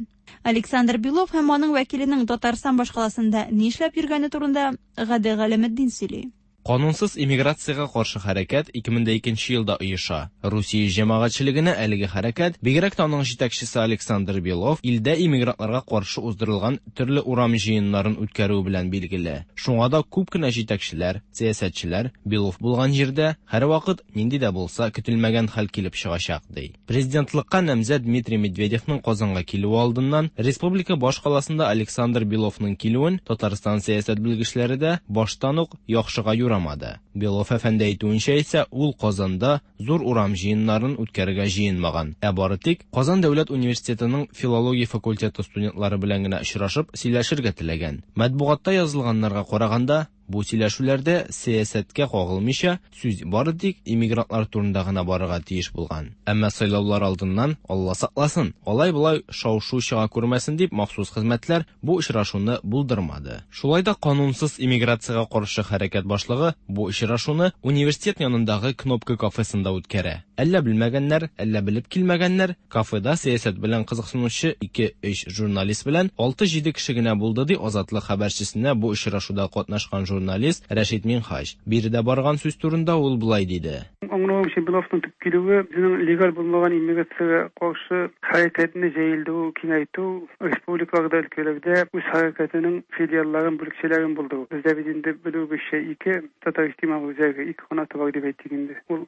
Александр Белов һәм аның вәкиленең Татарстан башкаласында нишләп йөргәне турында Гадел Галәметдин сөйли. Канунсыз иммиграциягә каршы хәрәкәт 2002 елда оеша. Русия җәмәгатьчелегенә әлеге хәрәкәт, бигрәк тә аның җитәкчесе Александр Белов, илдә иммигрантларга каршы уздырылган төрле урам җыеннарын үткәрүе белән билгеле. Шуңа да күп кенә җитәкчеләр, сәясәтчеләр Белов булган җирдә һәрвакыт нинди дә булса көтелмәгән хәл килеп чыгачак ди. Президентлыкка намзәт Дмитрий Медведевның Казанга килүе алдыннан республика башкаласында Александр Беловның килүен Татарстан сәясәт белгечләре дә баштан ук яхшыга юрамады. Белов әфәнде әйтүенчә исә, ул Казанда зур урам җыеннарын үткәрергә җыенмаган. Ә бары тик Казан дәүләт университетының филология факультеты студентлары белән генә очрашып сөйләшергә теләгән. Матбугатта язылганнарга караганда, Бу сөйләшүләрдә сәясәткә кагылмыйча, сүз бары тик иммигрантлар турында гына барырга тиеш булган. Әмма сайлаулар алдыннан, Алла сакласын, алай-болай шау-шу чыга күрмәсен дип махсус хезмәтләр бу очрашуны булдырмады. Шулай да канунсыз иммиграциягә каршы хәрәкәт башлыгы бу очрашуны университет янындагы Кнопка кафесында үткәрә. Әллә белмәгәннәр, әллә белеп килмәгәннәр, кафеда сәясәт белән кызыксынучы ике-өч журналист белән алты-җиде кеше генә булды, ди Азатлык хәбәрчесенә бу очрашуда катнашкан журналист Рәшит Минһаҗ. Биредә барган сүз турында ул болай диде. Аңлавымча, Беловның төп килүе, үзенең легаль булмаган иммиграциягә каршы хәрәкәтне җәелдерү, киңәйтү, республикаларда, өлкәләрдә үз хәрәкәтенең филиалларын, бүлекчәләрен булдыру. Бездә бит инде, белүебезчә, ике татар иҗтимагый үзәге, ике канаты бар дип әйтик инде. Ул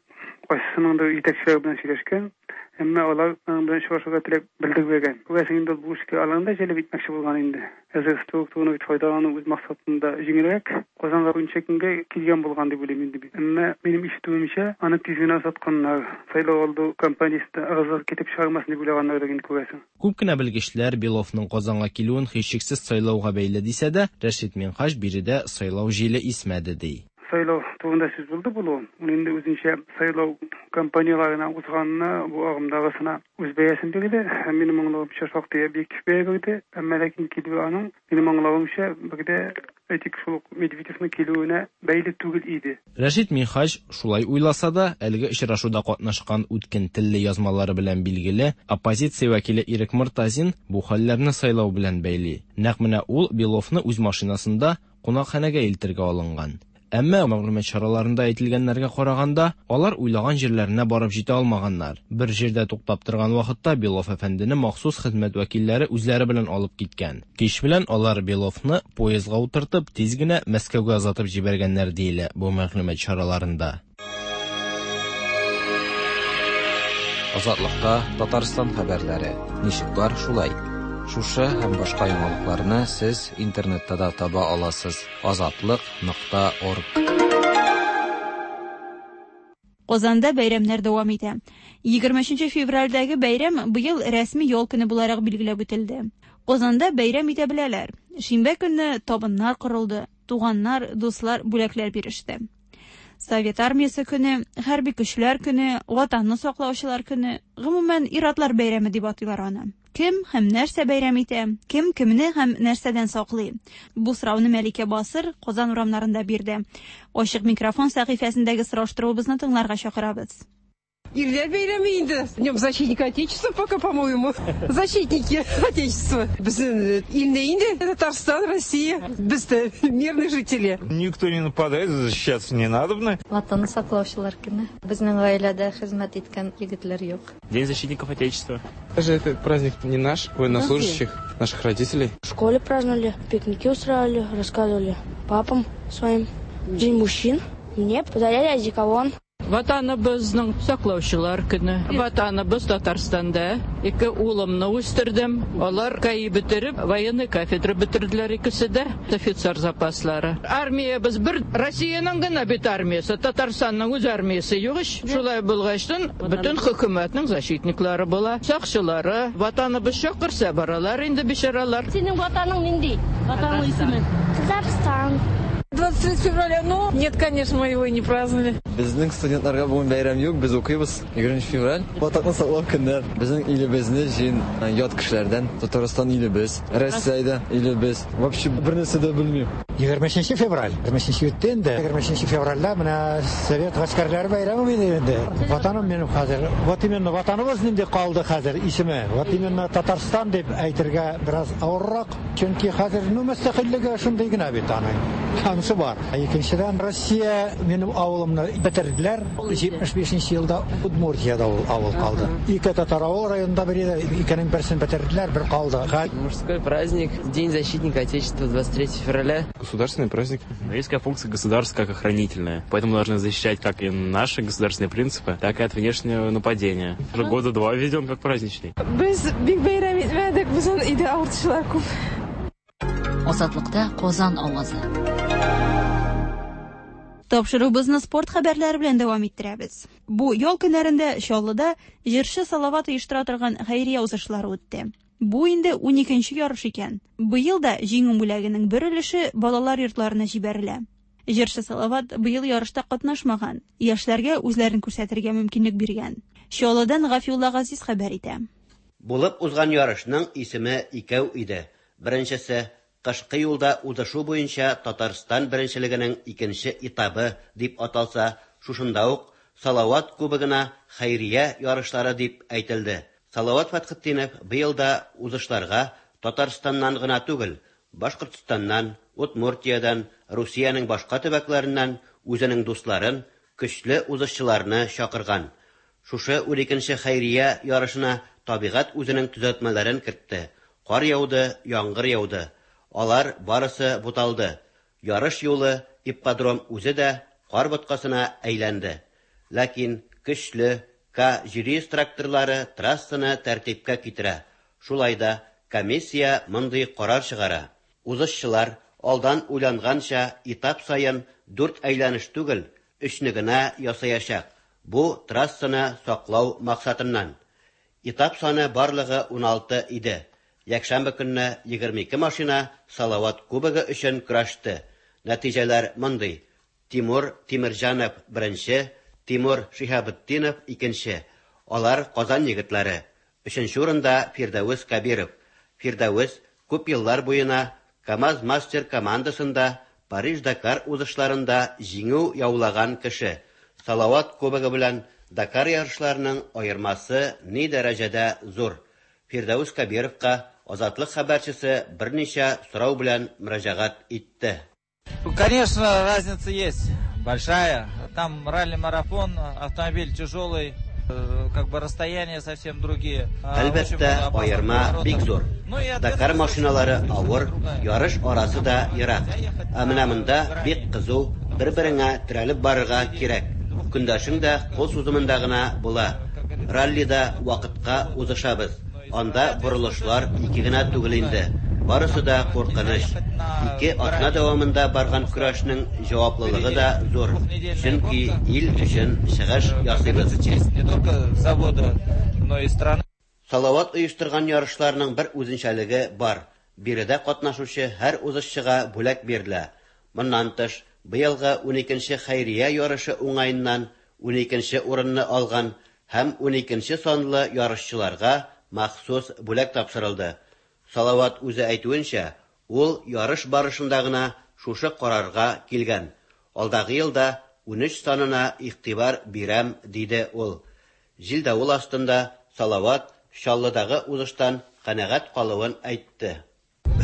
кайсысыныңдыр җитәкчеләре белән сөйләшкән, әмма алар аның белән очрашырга теләк белдермәгән. Күрәсең инде, ул бу эшкә аларны да җәлеп итмәкче булган инде. Әзер структураны бит файдалану үз максатында җиңелрәк. Казанга берничә көнгә килгән булган дип уйлыйм инде мин. Әмма минем ишетүемчә, аны тиз генә озатканнар. Сайлау алды кампаниясендә ыгы-зыгы китереп чыгармасын дип уйлаганнардыр инде, күрәсең. Күп кенә белгечләр Беловның Казанга килүен һичшиксез сайлауга бәйле дисә дә, Рәшит Минһаҗ биредә сайлау җиле исмәде, ди. Сайлау турында сүз булды булуын. Ул инде үзенчә сайлау кампанияләренә узганына, бу агымдагысына үз бәясен бирде һәм, минем аңлавымча, шактый объектив бәя бирде. Әмма ләкин килүе аның, минем аңлавымча, бер дә, әйтик, шул ук Медведевның килүенә бәйле түгел иде. Рәшит Минһаҗ шулай уйласа да, әлеге очрашуда катнашкан үткен телле язмалары белән билгеле оппозиция вәкиле Ирек Мортазин бу хәлләрне сайлау белән бәйли. Нәкъ менә ул Беловны үз машинасында кунакханәгә илтергә алынган. Әмма, мәгълүмат чараларында әйтелгәннәргә караганда, алар уйлаган җирләренә барып җитә алмаганнар. Бер җирдә туктап торган вакытта Белов әфәндене махсус хезмәт вәкилләре үзләре белән алып киткән. Кич белән алар Беловны поездга утыртып, тиз генә Мәскәүгә озатып җибәргәннәр, диелә бу мәгълүмат чараларында. Азатлыкта Татарстан хәбәрләре. Ничек бар, шулай. Шушы һәм башка яңалыкларны сез интернетта да таба аласыз: азатлык нокта орг. Казанда бәйрәмнәр дәвам итә. 23 февральдәге бәйрәм быел рәсми ял көне буларак билгеләп үтелде. Казанда бәйрәм итә беләләр. Шимбә көнне табыннар корылды, туганнар, дуслар бүләкләр биреште. Совет армиясе көне, хәрби көчләр көне, Ватанны саклаучылар көне, гомумән, ир-атлар бәйрәме дип атыйлар аны. Кем һәм нәрсә бәйрәм итә? Кем кемне һәм нәрсәдән саклый? Бу сорауны Мәликә Басыр Казан урамнарында бирде. Ачык микрофон сәхифәсендәге сораштыруыбызны тыңларга чакырабыз. Ирләр бәйрәме инде. Днем защитника Отечества пока, по-моему. Защитники Отечества. Безнең илне инде Татарстан, Россия. Без дә мирные жители. Никто не нападает, защищаться не надобно. Ватанны саклаучылар көне. Безнең гаиләдә хезмәт иткән егетләр юк. День защитников Отечества. Даже этот праздник не наш, военнослужащих, наших родителей. В школе праздновали, пикники устраивали, рассказывали папам своим. День мужчин. Мне подарили одеколон. Ватаныбызның саклаучылар көне. Ватаныбыз Татарстанда. Ике улымны үстердем. Алар КАИ бетереп, военный кафедра бетерделәр икесе дә. Офицер запаслары. Армиябез бер Россиянең генә бит армиясе, Татарстанның үз армиясе юк ич. Шулай булгачтын, бөтен хөкүмәтнең защитниклары була, сакчылары. Ватаныбыз чакырса, баралар инде бичаралар. Синең ватаның нинди? Ватанның исеме? Татарстан. 23 февраля, ну, нет, конечно, мы его не праздновали. Безнең студентларга бүген бәйрәм юк, без укыйбыз. 20 февраль. Ватанны саклау көне. Безнең илебезне җыен ят кешеләрдән. Татарстан илебез, Россиядә илебез. Вообще бер нәрсә дә белмим. 23 февраль. 23 үтте инде. 23 февральдә менә Совет гаскәрләре бәйрәме иде инде. Ватаным минем хәзер. Вот именно ватаныбыз нинди калды хәзер исеме. Вот именно Татарстан дип әйтергә бераз авыррак. Чөнки хәзер ну мөстәкыйльлеге шундый гына бит аның. Анысы бар. Икенчедән Россия минем авылымны бетерделәр. 75 елда Удмуртиядә ул авыл калды. Ике татар авыл районында бер иде, икенең берсен бетерделәр, бер калды. Мужской праздник, День защитника Отечества, 23 февраля. Государственный праздник. Есть такая функция государства как охранительная. Поэтому должны защищать как и наши государственные принципы, так и от внешнего нападения. Уже года два введен как праздничный. Без бик бәйрәм итмәдек, безнең өйдә авыртучылар күп. Азатлыкта Казан авазы. Тапшыруыбызны спорт хәбәрләре белән дәвам иттерәбез. Бу ял көннәрендә Чаллыда җырчы Салават оештыра торган хәйрия узышлары үтте. Бу инде уникенче ярыш икән. Быел да җиңү бүләгенең бер өлеше балалар йортларына җибәрелә. Җырчы Салават быел ярышта катнашмаган, яшьләргә үзләрен күрсәтергә мөмкинлек биргән. Чаллыдан Гафиулла Газиз хәбәр итә. Булып узган ярышның исеме икәү иде. Беренчесе, Кышкы юлда узышу буенча Татарстан беренчелегенең икенче этабы дип аталса, шушында ук Салават Кубогына хәйрия ярышлары дип әйтелде. Салават Фәтхетдинов быел да узышларга Татарстаннан гына түгел, Башкортстаннан, Удмуртиядән, Русиянең башка төбәкләреннән үзенең дусларын, көчле узышчыларны чакырган. Шушы уникенче хәйрия ярышына табигать үзенең төзәтмәләрен кертте, кар яуды, яңгыр яуды. Алар барысы буталды. Ярыш юлы, ипподром үзе дә кар боткасына әйләнде. Ләкин көчле К-700 тракторлары трассаны тәртипкә китерә. Шулай да комиссия мондый карар чыгара, узышчылар, алдан уйланганча, этап саен дүрт әйләнеш түгел, өчне генә ясаячак. Бу, трассаны саклау максатыннан. Этап саны барлыгы 16 иде. Якшәмбе көнне 22 машина Салават Кубогы өчен көрәште. Нәтиҗәләр мондый: Тимур Тимерҗанов, беренче, Тимур Шиһабетдинов, икенче. Алар Казан егетләре. Өченче урында Фирдәвес Кәбиров. Фирдәвес күп еллар буена КАМАЗ-Мастер командасында Париж-Дакар узышларында җиңү яулаган кеше. Салават Кубогы белән Дакар ярышларының аермасы ни дәрәҗәдә зур. Фирдәвес Кәбировка Азатлык хәбәрчесе берничә сорау белән мөрәҗәгать итте. Конечно, разница есть большая. Там ралли-марафон, автомобиль тяжелый, э, как бы расстояния совсем другие. Әлбәттә, аерма бик зур. Дакар машиналары авыр, ярыш арасы да ерак. Ә менә монда бик кызу, бер-береңә терәлеп барырга кирәк. Көндәшең дә кул сузымында гына була. Раллида вакытка узышабыз. Анда борылышлар ике генә түгел инде. Барысы да куркыныч. Ике атна дәвамында барган көрәшнең җаваплылыгы да зур, чөнки ил өчен чыгыш ясыйбыз. Салават оештырган ярышларның бер үзенчәлеге бар, биредә катнашучы һәр узышчыга бүләк бирелә. Моннан тыш, быелгы уникенче хәйрия ярышы уңаеннан уникенче урынны алган һәм уникенче санлы ярышчыларга махсус бүләк тапшырылды. Салават үзе әйтүенчә, ул ярыш барышында гына шушы карарга килгән. Алдагы елда 13 санына игътибар бирәм, диде ул. Җил-давыл астында Салават Чаллыдагы узыштан канәгать калуын әйтте.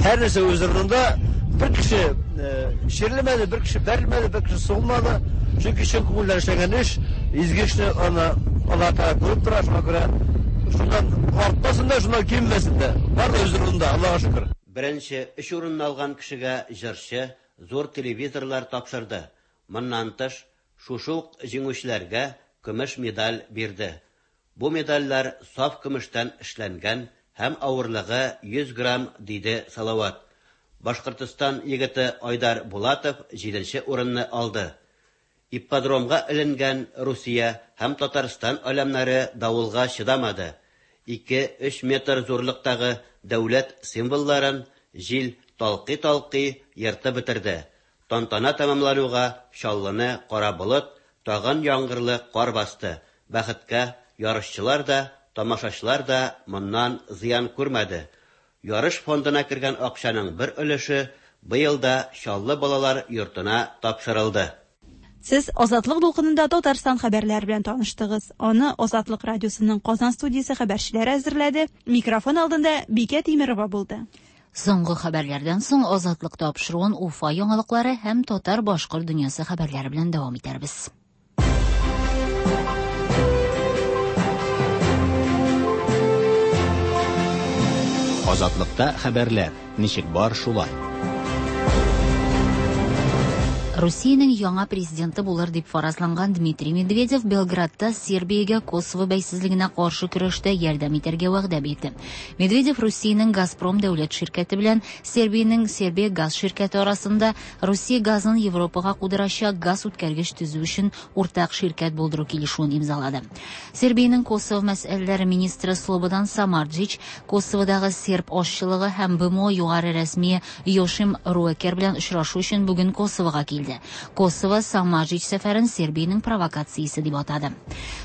Һәр нәрсә үз урынында. Бер кеше чирлемәде, бер кеше бәрелмәде, бер кеше сугылмады. Чөнки чын күңелдән эшләнгән эш, изге эшне аны Аллаһ Тәгалә күреп тора, шуңа күрә шуннан артмасын да, шуннан кимемәсен дә. Бар да үз урынында, Аллаһка шөкер. Беренче өч урынны алган кешегә җырчы зур телевизорлар тапшырды. Моннан тыш, шушы ук җиңүчеләргә көмеш медаль бирде. Бу медальләр саф көмештән эшләнгән һәм авырлыгы 100 грамм, диде Салават. Башкортстан егете Айдар Булатов җиденче урынны алды. Ипподромга эленгән Русия һәм Татарстан аләмнәре давылга чыдамады. Ике-өч метр зурлыктагы дәүләт символларын җил талкый-талкый ертып бетерде. Тантана тәмамлануга Чаллыны кара болыт, тагын яңгырлы кар басты. Бәхеткә, ярышчылар да, тамашачылар да моннан зыян күрмәде. Ярыш фондына кергән акчаның бер өлеше быел да Чаллы балалар йортына тапшырылды. Сез Азатлык дулкынында Татарстан хәбәрләре белән таныштыгыз. Аны Азатлык радиосының Казан студиясе хәбәрчеләре әзерләде. Микрофон алдында Бикә Тимерова булды. Соңгы хәбәрләрдән соң Азатлык тапшыруын Уфа яңалыклары һәм татар-башкорт дөньясы хәбәрләре белән дәвам итәрбез. Азатлыкта хәбәрләр, ничек бар шулай. Русиянең яңа президенты булыр дип фаразланган Дмитрий Медведев Белградта Сербиягә Косово бәйсезлегенә каршы көрәштә ярдәм итәргә вәгъдә бирде. Медведев Русиянең Газпром дәүләт ширкәте белән Сербиянең Сербия газ ширкәте арасында Русия газын Европага кудырачак газ үткәргеч төзү өчен уртак ширкәт булдыру килешүен имзалады. Сербиянең Косово мәсьәләләре министры Слободан Самарджич Косоводагы серб азчылыгы һәм БМО югары рәсмие Йошим Руэкер белән очрашу өчен бүген Косовога килде. ителде. Косово Самарҗич сәфәрен Сербиянең провокациясе дип атады.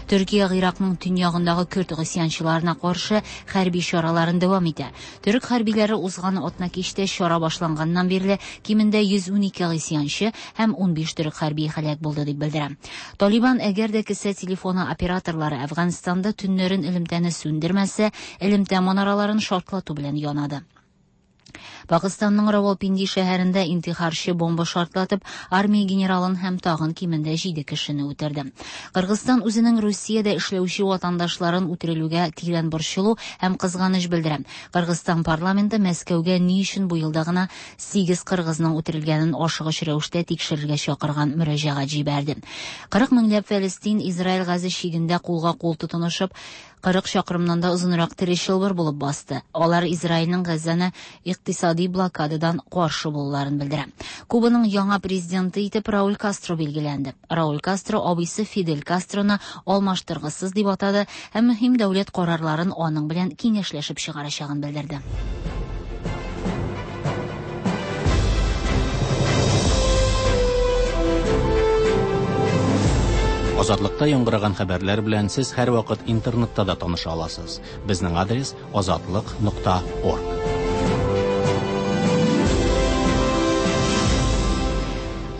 Төркия Гыйракның төньягындагы көрд гыйсьянчыларына каршы хәрби чараларын дәвам итә. Төрек хәрбиләре узган атнакичтә чара башланганнан бирле кимендә 112 гыйсьянчы һәм 15 төрек хәрбие һәлак булды дип белдерә. Талибан әгәр дә кесә телефоны операторлары Әфганстанда төннәрен элемтәне сүндермәсә, элемтә манараларын шартлату белән янады. Пакыстанның Равалпинди шәһәрендә интихарчы бомба шартлатып, армия генералын һәм тагын кимендә 7 кешене үтерде. Кыргызстан үзенең Русиядә эшләүче ватандашларын үтерелүгә тирән борчылу һәм кызганыч белдерә. Кыргызстан парламенты Мәскәүгә ни өчен бу елда гына 8 кыргызның үтерелгәнен ашыгыч рәвештә тикшерергә чакырган мөрәҗәгать җибәрде. 40 меңләп фәлестин Израиль Газа чигендә кулга-кул тотынышып, 40 чакрымнан да озынрак тере чылбыр булып басты. Алар Израильнең Газаны икътисади блокададан каршы булуларын белдерә. Кубаның яңа президенты итеп Рауль Кастро билгеләнде. Рауль Кастро абыйсы Фидель Кастроны алмаштыргысыз дип атады һәм мөһим дәүләт карарларын аның белән киңәшләшеп чыгарачагын белдерде. Азатлыкта яңгыраган хәбәрләр белән сез һәрвакыт интернетта да таныша аласыз. Безнең адрес азатлык.орг.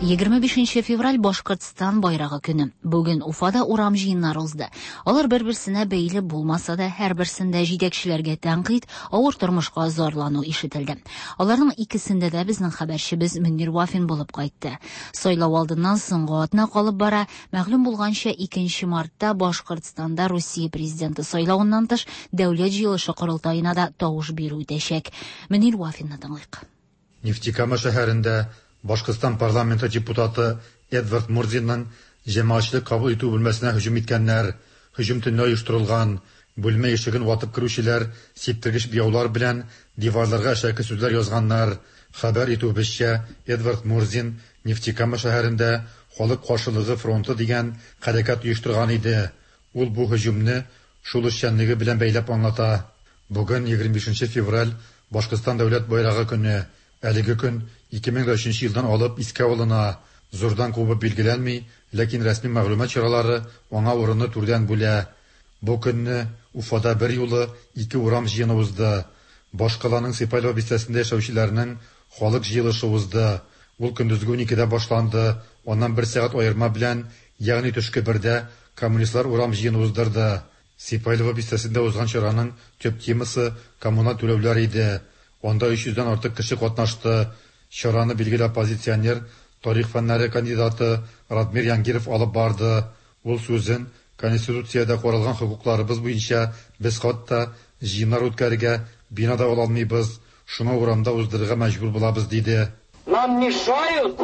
25 февраль Башкортстан байрагы көне. Бүген Уфада урам җыеннары узды. Алар бер-берсенә бәйле булмаса да, һәрберсендә җитәкчеләргә тәнкыйть, авыр тормышка зарлану ишетелде. Аларның икесендә дә безнең хәбәрчебез Мөнир Вафин булып кайтты. Сайлау алдыннан соңгы атна калып бара. Мәгълүм булганча, 2 мартта Башкортстанда Русия президенты сайлавыннан тыш Дәүләт җыелышы корылтаена да тавыш бирү үтәчәк. Мөнир Вафинны тыңлыйк. Нефтекама шәһәрендә Башкортстан парламенты депутаты Эдвард Мурзинның җәмәгатьчелек кабул итү бүлмәсенә һөҗүм иткәннәр. Һөҗүм төнлә оештырылган. Бүлмә ишеген ватып керүчеләр сиптергеч буяулар белән диварларга әшәке сүзләр язганнар. Хәбәр итүебезчә, Эдвард Мурзин Нефтекама шәһәрендә Халык каршылыгы фронты дигән хәрәкәт оештырган иде. Ул бу һөҗүмне шул эшчәнлеге белән бәйләп аңлата. Бүген 25 февраль Башкортстан дәүләт байрагы көне. Әлеге көн 2003 елдан алып искә алына. Зурдан кубып билгеләнми, ләкин рәсми мәгълүмат чаралары аңа урынны түрдән бүлә. Бу көнне Уфада бер юлы ике урам җыены узды. Башкаланың Сипайлово бистәсендә яшәүчеләрнең халык җыелышы узды. Ул көндезге 12-дә башланды. Аннан бер сәгать аерма белән, ягъни төшке бердә коммунистлар урам җыены уздырды. Сипайлово бистәсендә узган чараның төп темасы коммуналь түләүләр иде. Анда 300дән артык кеше катнашты. Чараны билгеле оппозиционер, тарих фәннәре кандидаты Радмир Янгиров алып барды. Ул сүзен Конституциядә каралган хокукларыбыз буенча без хатта җыеннар үткәрергә бина да ала алмыйбыз, шуңа урамда уздырырга мәҗбүр булабыз, диде. Нам мешают,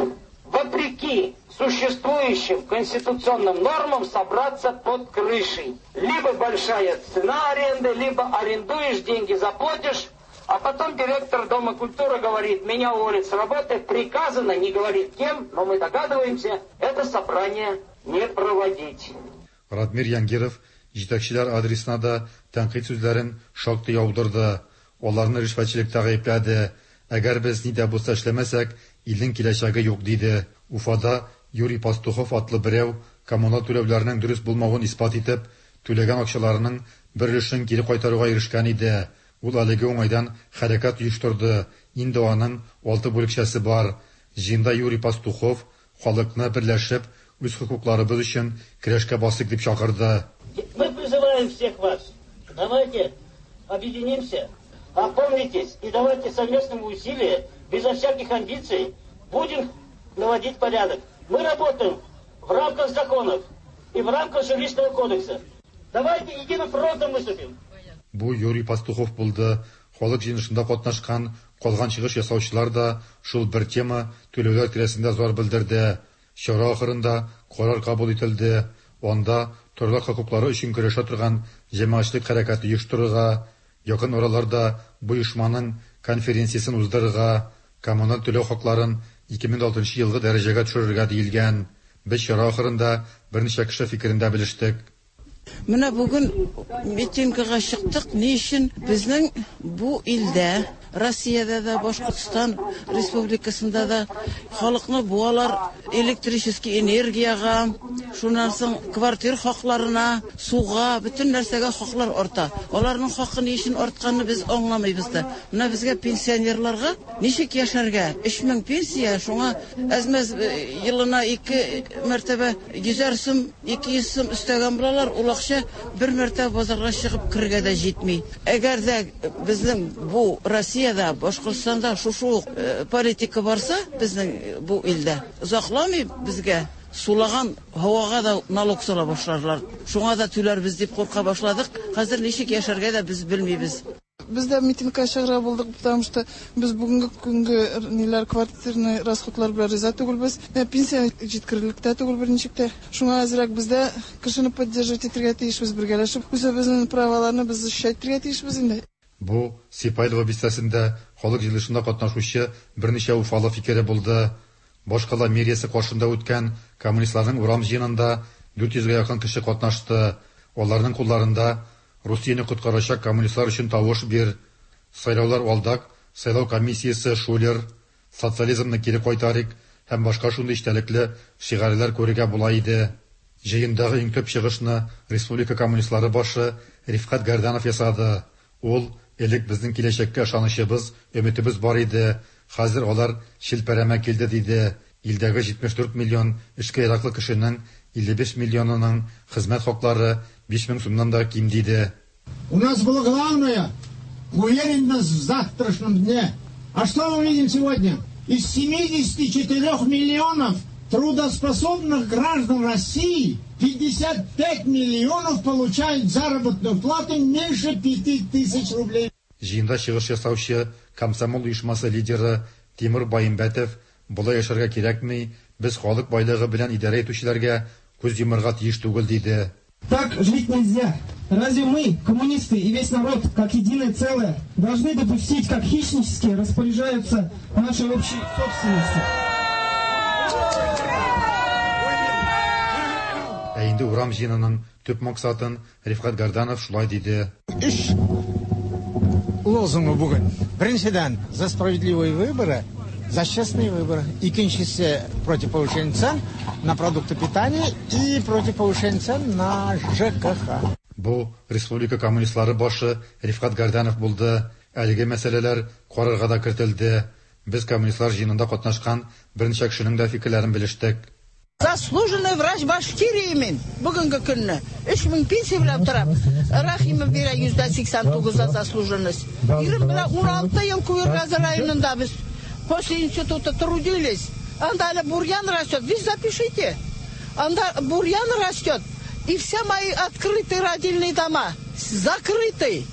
вопреки существующим конституционным нормам, собраться под крышей. Либо большая цена аренды, либо арендуешь, деньги заплатишь, а потом директор Дома культуры говорит, меня уволят с работы, приказано, не говорит кем, но мы догадываемся, это собрание не проводить. Радмир Янгиров җитәкчеләр адресына да тәнкыйть сүзләрен шактый яудырды. Аларны ришвәтчелектә гаепләде. Әгәр без ни дә булса эшләмәсәк, илнең киләчәге юк, диде. Уфада Юрий Пастухов атлы берәү коммуналь түләүләрнең дөрес булмавын исбат итеп, түләгән акчаларының бер өлешен кире кайтаруга ирешкән иде. Ул әлеге уңайдан хәрәкәт оештырды. Инде аның 6 бүлекчәсе бар. Җыенда Юрий Пастухов халыкны берләшеп, үз хокукларыбыз өчен көрәшкә басыйк дип чакырды. Мы призываем всех вас. Давайте объединимся, опомнитесь и давайте совместными усилиями, безо всяких амбиций, будем наводить порядок. Мы работаем в рамках законов и в рамках жилищного кодекса. Давайте единым фронтом выступим. Бу Юрий Пастухов булды. Халык җыелышында катнашкан калган чыгыш ясаучылар да шул бер тема түләүләр тирәсендә зар белдерде. Чара ахырында карар кабул ителде. Анда торлак хокуклары өчен көрәшә торган җәмәгатьчелек хәрәкәте оештырырга, якын араларда бу оешманың конференциясен уздырырга, коммуналь түләү хакларын 2006 елгы дәрәҗәгә төшерергә диелгән. Без чара ахырында берничә кеше фикерен дә белештек. Менә бүген митингага чыктык. Ни өчен? Безнең бу илдә Россиядә дә, Башкортстан Республикасында да халыкны буалар электрический энергиягә, шуннан соң квартир хакларына, суга, бөтен нәрсәгә хаклар арта. Аларның хакы ни өчен артканны без аңламыйбыз да. Менә безгә пенсионерларга ничек яшәргә? 3000 пенсия, шуңа әз-мәз елына ике мәртәбә йөзәр сум, 200 сум өстәгән булалар, ул акча бер мәртәбә базарга чыгып керергә дә җитми. Әгәр дә безнең бу Россиядә, Башкортстанда шушы ук политика барса, безнең бу илдә, озакламый безгә сулаган һавага да налог сала башларлар. Шуңа да түләрбез дип курка башладык. Хәзер ничек яшәргә дә без белмибез. Без дә митингка чыгарга булдык, потому что без бүгенге көнге ниләр квартирный расходлар белән риза түгелбез. Пенсия җиткерерлек тә түгел берничек тә. Шуңа әзрәк без дә кешене поддерживать итәргә тиешбез, бергәләшеп үзебезнең праваларны без защищать итәргә тиешбез инде. Бу Сипайлово бистәсендә халык җыелышында катнашучы берничә уфалы фикере булды. Башкала мэриясе каршында үткән коммунистларның урам җыенында 400 гә якын кеше катнашты. Аларның кулларында Русияне коткарачак коммунистлар өчен тавыш бир, Сайлаулар алдак, Сайлау комиссиясе шулер, Социализмны кире кайтарыйк һәм башка шундый эчтәлекле шигарьләр күрергә була иде. Җыендагы иң төп чыгышны республика коммунистлары башы Рифкать Гәрданов ясады. Ул, Элек безнең киләчәккә ышанычыбыз, өметебез бар иде, хәзер алар челпәрәмә килде, диде. Илдәге 74 миллион эшкә яраклы кешенең 55 миллионының хезмәт хаклары 5000 сумнан да ким, диде. У нас было главное уверенность в завтрашнем дне. А что мы видим сегодня? Из 74 миллионов трудоспособных граждан России 55 миллионов получают заработную плату меньше 5000 рублей. Җыенда чыгыш ясаучы комсомол оешмасы лидеры Тимур Баимбәтов, Болай яшәргә кирәкми, без халык байлыгы белән идарә итүчеләргә күз йомарга тиеш түгел, диде. Так жить нельзя. Разве мы, коммунисты и весь народ, как единое целое, должны допустить, как хищнически распоряжаются нашей общей собственностью? Ә инде урам җыенының төп максатын Рифкать Гәрданов шулай диде. Өч лозунгы бүген. Беренчедән, за справедливые выборы, за честные выборы. Икенчесе, против повышения цен на продукты питания и против повышения цен на ЖКХ. Бу республика коммунистлары башы Рифкать Гәрданов булды. Әлеге мәсьәләләр карарга да кертелде. Без коммунистлар җыенында катнашкан берничә кешенең дә фикерләрен белештек. Заслуженный врач Башкирии мин бүгенге көнне. 3000 пенсия белән торам. Рәхимов бирә 89% за заслуженность. Ирем белән 16 ел Куергазы районында без после института трудились. Анда әле бурьян растет. Вы запишите. Анда бурьян растет. И все мои открытые родильные дома закрыты.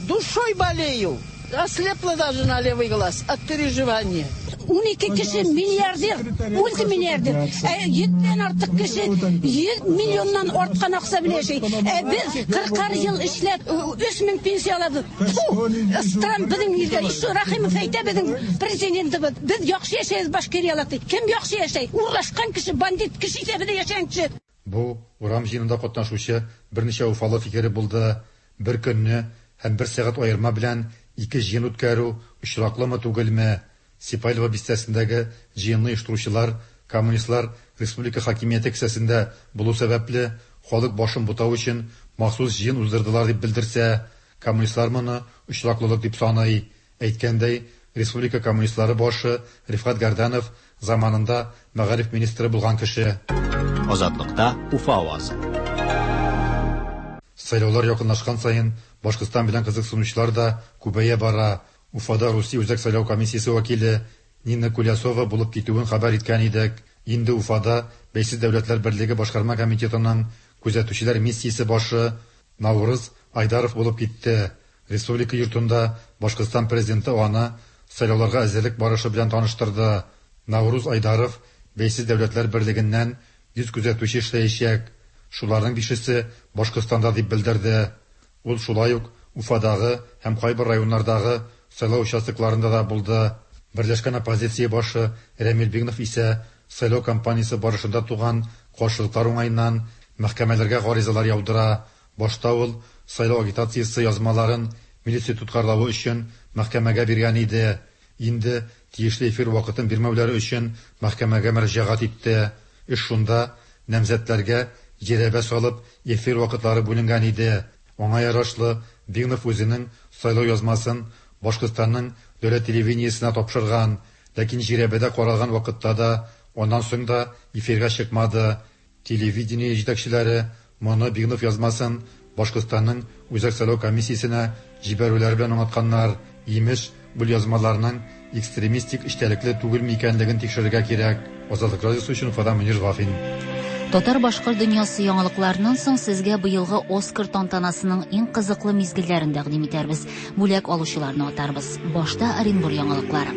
Душой болею. Ослепла даже на левый глаз от переживания. 12 кеше миллиардер, мультимиллиардер. Ә 100дән артык кеше 100 миллионнан арткан акча белән яши. Ә без 40 ел эшләп 3000 пенсия алабыз. Фу, стран безнең илдә. Еще Рахимов әйтә безнең президентыбыз. Без яхшы яшәйбез Башкириялар ди. Кем яхшы яшәй? Урлашкан кеше, бандит кеше исәбендә яшәгән кеше. Бу урам җыенында катнашучы берничә уфалы фикере булды. Бер көнне һәм бер сәгать аерма белән ике җыен үткәрү очраклымы түгелме? Сипайлово бистәсендәге җыенны оештыручылар, коммунистлар республика хакимияте кесәсендә булу сәбәпле, халык башын бутау өчен махсус җыен уздырдылар дип белдерсә, коммунистлар моны очраклылык дип саный. Әйткәндәй, республика коммунистлары башы Рифкать Гәрданов заманында мәгариф министры булган кеше. Азатлыкта Уфа авазы. Сайлаулар якынлашкан саен Башкортстан белән кызыксынучылар да күбәя бара. Уфада Русия Үзәк сайлау комиссиясе вәкиле Нина Кулясова булып китүен хәбәр иткән идек. Инде Уфада Бәйсез дәүләтләр берлеге башкарма комитетының күзәтүчеләр миссиясе башы Наурыз Айдаров булып китте. Республика йортында Башкортстан президенты аны сайлауларга әзерлек барышы белән таныштырды. Наурыз Айдаров Бәйсез дәүләтләр берлегеннән 100 күзәтүче эшләячәк. Шуларның бишесе Башкортстанда дип белдерде. Ул шулай ук Уфадагы һәм кайбер районнардагы сайлау участокларында да булды. Берләшкән оппозиция башы Рәмил Бигнов исә сайлау кампаниясе барышында туган каршылыклар уңаеннан мәхкәмәләргә гаризалар яудыра. Башта ул сайлау агитациясе язмаларын милиция тоткарлавы өчен мәхкәмәгә биргән иде. Инде тиешле эфир вакытын бирмәүләре өчен мәхкәмәгә мөрәҗәгать итте. Эш шунда, намзәтләргә жирәбә салып эфир вакытлары бүленгән иде. Аңа ярашлы Бигнов үзенең сайлау язмасын Башкортстанның дәүләт телевидениесенә тапшырган, ләкин жирәбәдә каралган вакытта да, аннан соң да эфирга чыкмады. Телевидение җитәкчеләре моны Бигнов язмасын Башкортстанның Үзәк сайлау комиссиясенә җибәрүләре белән аңлатканнар. Имеш, бу язмаларның экстремистик эчтәлекле түгелме икәнлеген тикшерергә кирәк. Азатлык радиосы өчен Уфадан Мөнир Вафин. Татар-башкорт дөньясы яңалыкларыннан соң сезгә быелгы Оскар тантанасының иң кызыклы мизгелләрен тәкъдим итәрбез. Бүләк алучыларны атарбыз. Башта Оренбур яңалыклары.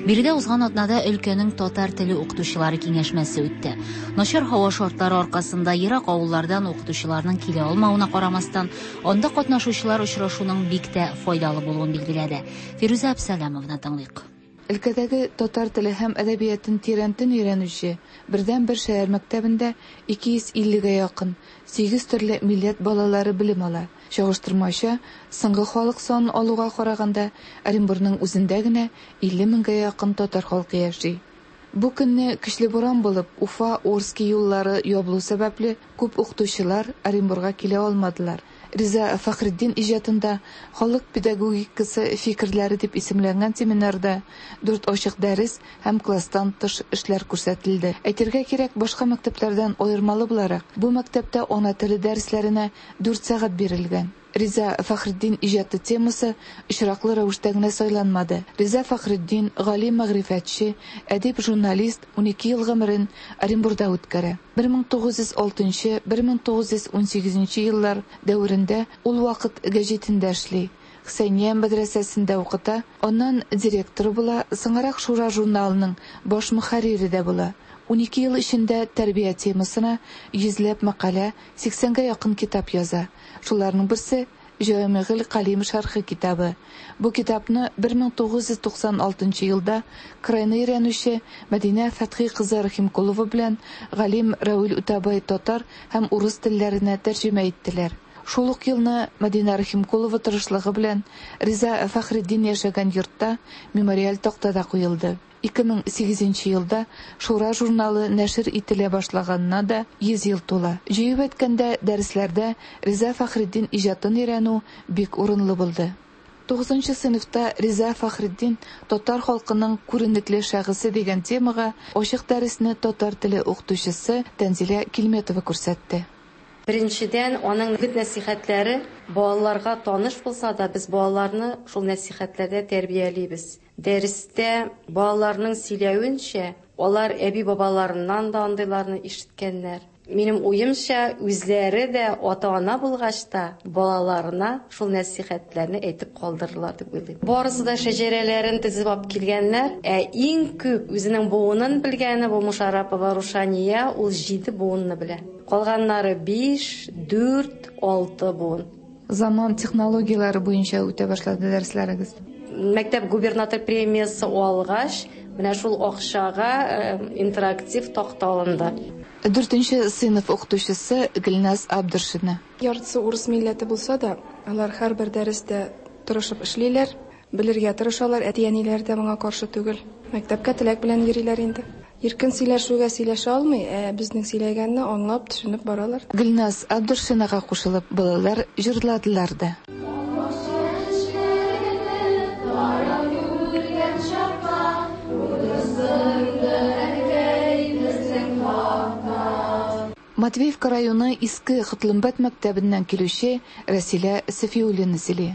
Биредә узган атнада өлкәнең татар теле укытучылары киңәшмәсе үтте. Начар һава шартлары аркасында ерак авыллардан укытучыларның килә алмавына карамастан, анда катнашучылар очрашуның бик тә файдалы булуын билгеләде. Фирүзә Әбсәләмованы тыңлыйк. Өлкәдәге татар теле һәм әдәбиятын тирәнтен өйрәнүче бердәнбер шәһәр мәктәбендә 250 гә якын, сигез төрле милләт балалары белем ала. Чагыштырмача, соңгы халык санын алуга караганда, Оренбурның үзендә генә 50 меңгә якын татар халкы яши. Бу көнне көчле буран булып, Уфа, Орски юллары ябылу сәбәпле, күп укытучылар Оренбурга килә алмадылар. Риза Фәхретдин иҗатында халык педагогикасы фикерләре дип исемләнгән семинарда дүрт ачык дәрес һәм класстан тыш эшләр күрсәтелде. Әйтергә кирәк, башка мәктәпләрдән аермалы буларак, бу мәктәптә ана теле дәресләренә дүрт сәгать бирелгән. Риза Фәхретдин иҗаты темасы очраклы рәвештә генә сайланмады. Риза Фәхретдин, галим мәгърифәтче, әдип, журналист, 12 ел гомерен Оренбурда үткәрә. 1906, 1918 еллар дәверендә ул Вакыт гәҗитендә эшли, Хөсәения мәдрәсәсендә укыта, аннан директоры була, соңрак Шура журналының баш мөхәррире дә була. 12 ел эчендә тәрбия темасына йөзләп мәкалә, сиксәнгә якын китап яза. Шуларның берсе, Җәвамигыль Калим шәрхе китабы. Бу китапны 1996 елда крайны өйрәнүче Мәдинә Фәтхи кызы Рәхимкулова белән галим Рәвил Үтәбай татар һәм урыс телләренә тәрҗемә иттеләр. Шул ук елны Мәдинә Рәхимкулова тырышлыгы белән Риза Фәхретдин яшәгән йортта мемориаль такта да куелды. 2008 нче елда Шура журналы нәшер ителә башлаганына да 100 ел тула. Җыеп әйткәндә, дәресләрдә Риза Фәхретдин иҗатын өйрәнү бик урынлы булды. Тугызынчы сыйныфта Риза Фәхретдин татар халкының күренекле шәхесе дигән темага ачык дәресне татар теле укытучысы Тәнзилә Килметова күрсәтте. Беренчедән, аның үгет-нәсыйхәтләре балаларга таныш булса да, без балаларны шул нәсыйхәтләрдә тәрбиялибез. Дәрестә балаларның сөйләвенчә, алар әби-бабаларыннан да андыйларны ишеткәннәр. Минем уемча, үзләре дә ата-ана булгач та, балаларына шул нәсыйхәтләрне әйтеп калдырырлар дип уйлыйм. Барысы да шәҗәрәләрен тезеп алып килгәннәр. Ә иң күп үзенең буынын белгәне бу Мушарапова Рушания, ул җиде буынны белә. Калганнары биш, дүрт, алты буын. Заман технологияләре буенча үтә башлады дәресләрегез. Мәктәп губернатор премиясе алгач, менә шул акчага интерактив такта алынды. Дүртенче сыйныф укытучысы Гөлназ Абдыршина. Яртысы урыс милләте булса да, алар һәрбер дәрестә тырышып эшлиләр, белергә тырышалар, әти-әниләре дә моңа каршы түгел. Мәктәпкә теләк белән йөриләр инде. Иркен сөйләшүгә сөйләшә алмый, ә безнең сөйләгәнне аңлап, төшенеп баралар. Гөлназ Абдыршинага кушылып, балалар җырладылар да. Матвеевка районы Иске Котлымбәт мәктәбеннән килүче Рәсилә Сафиуллина сөйли.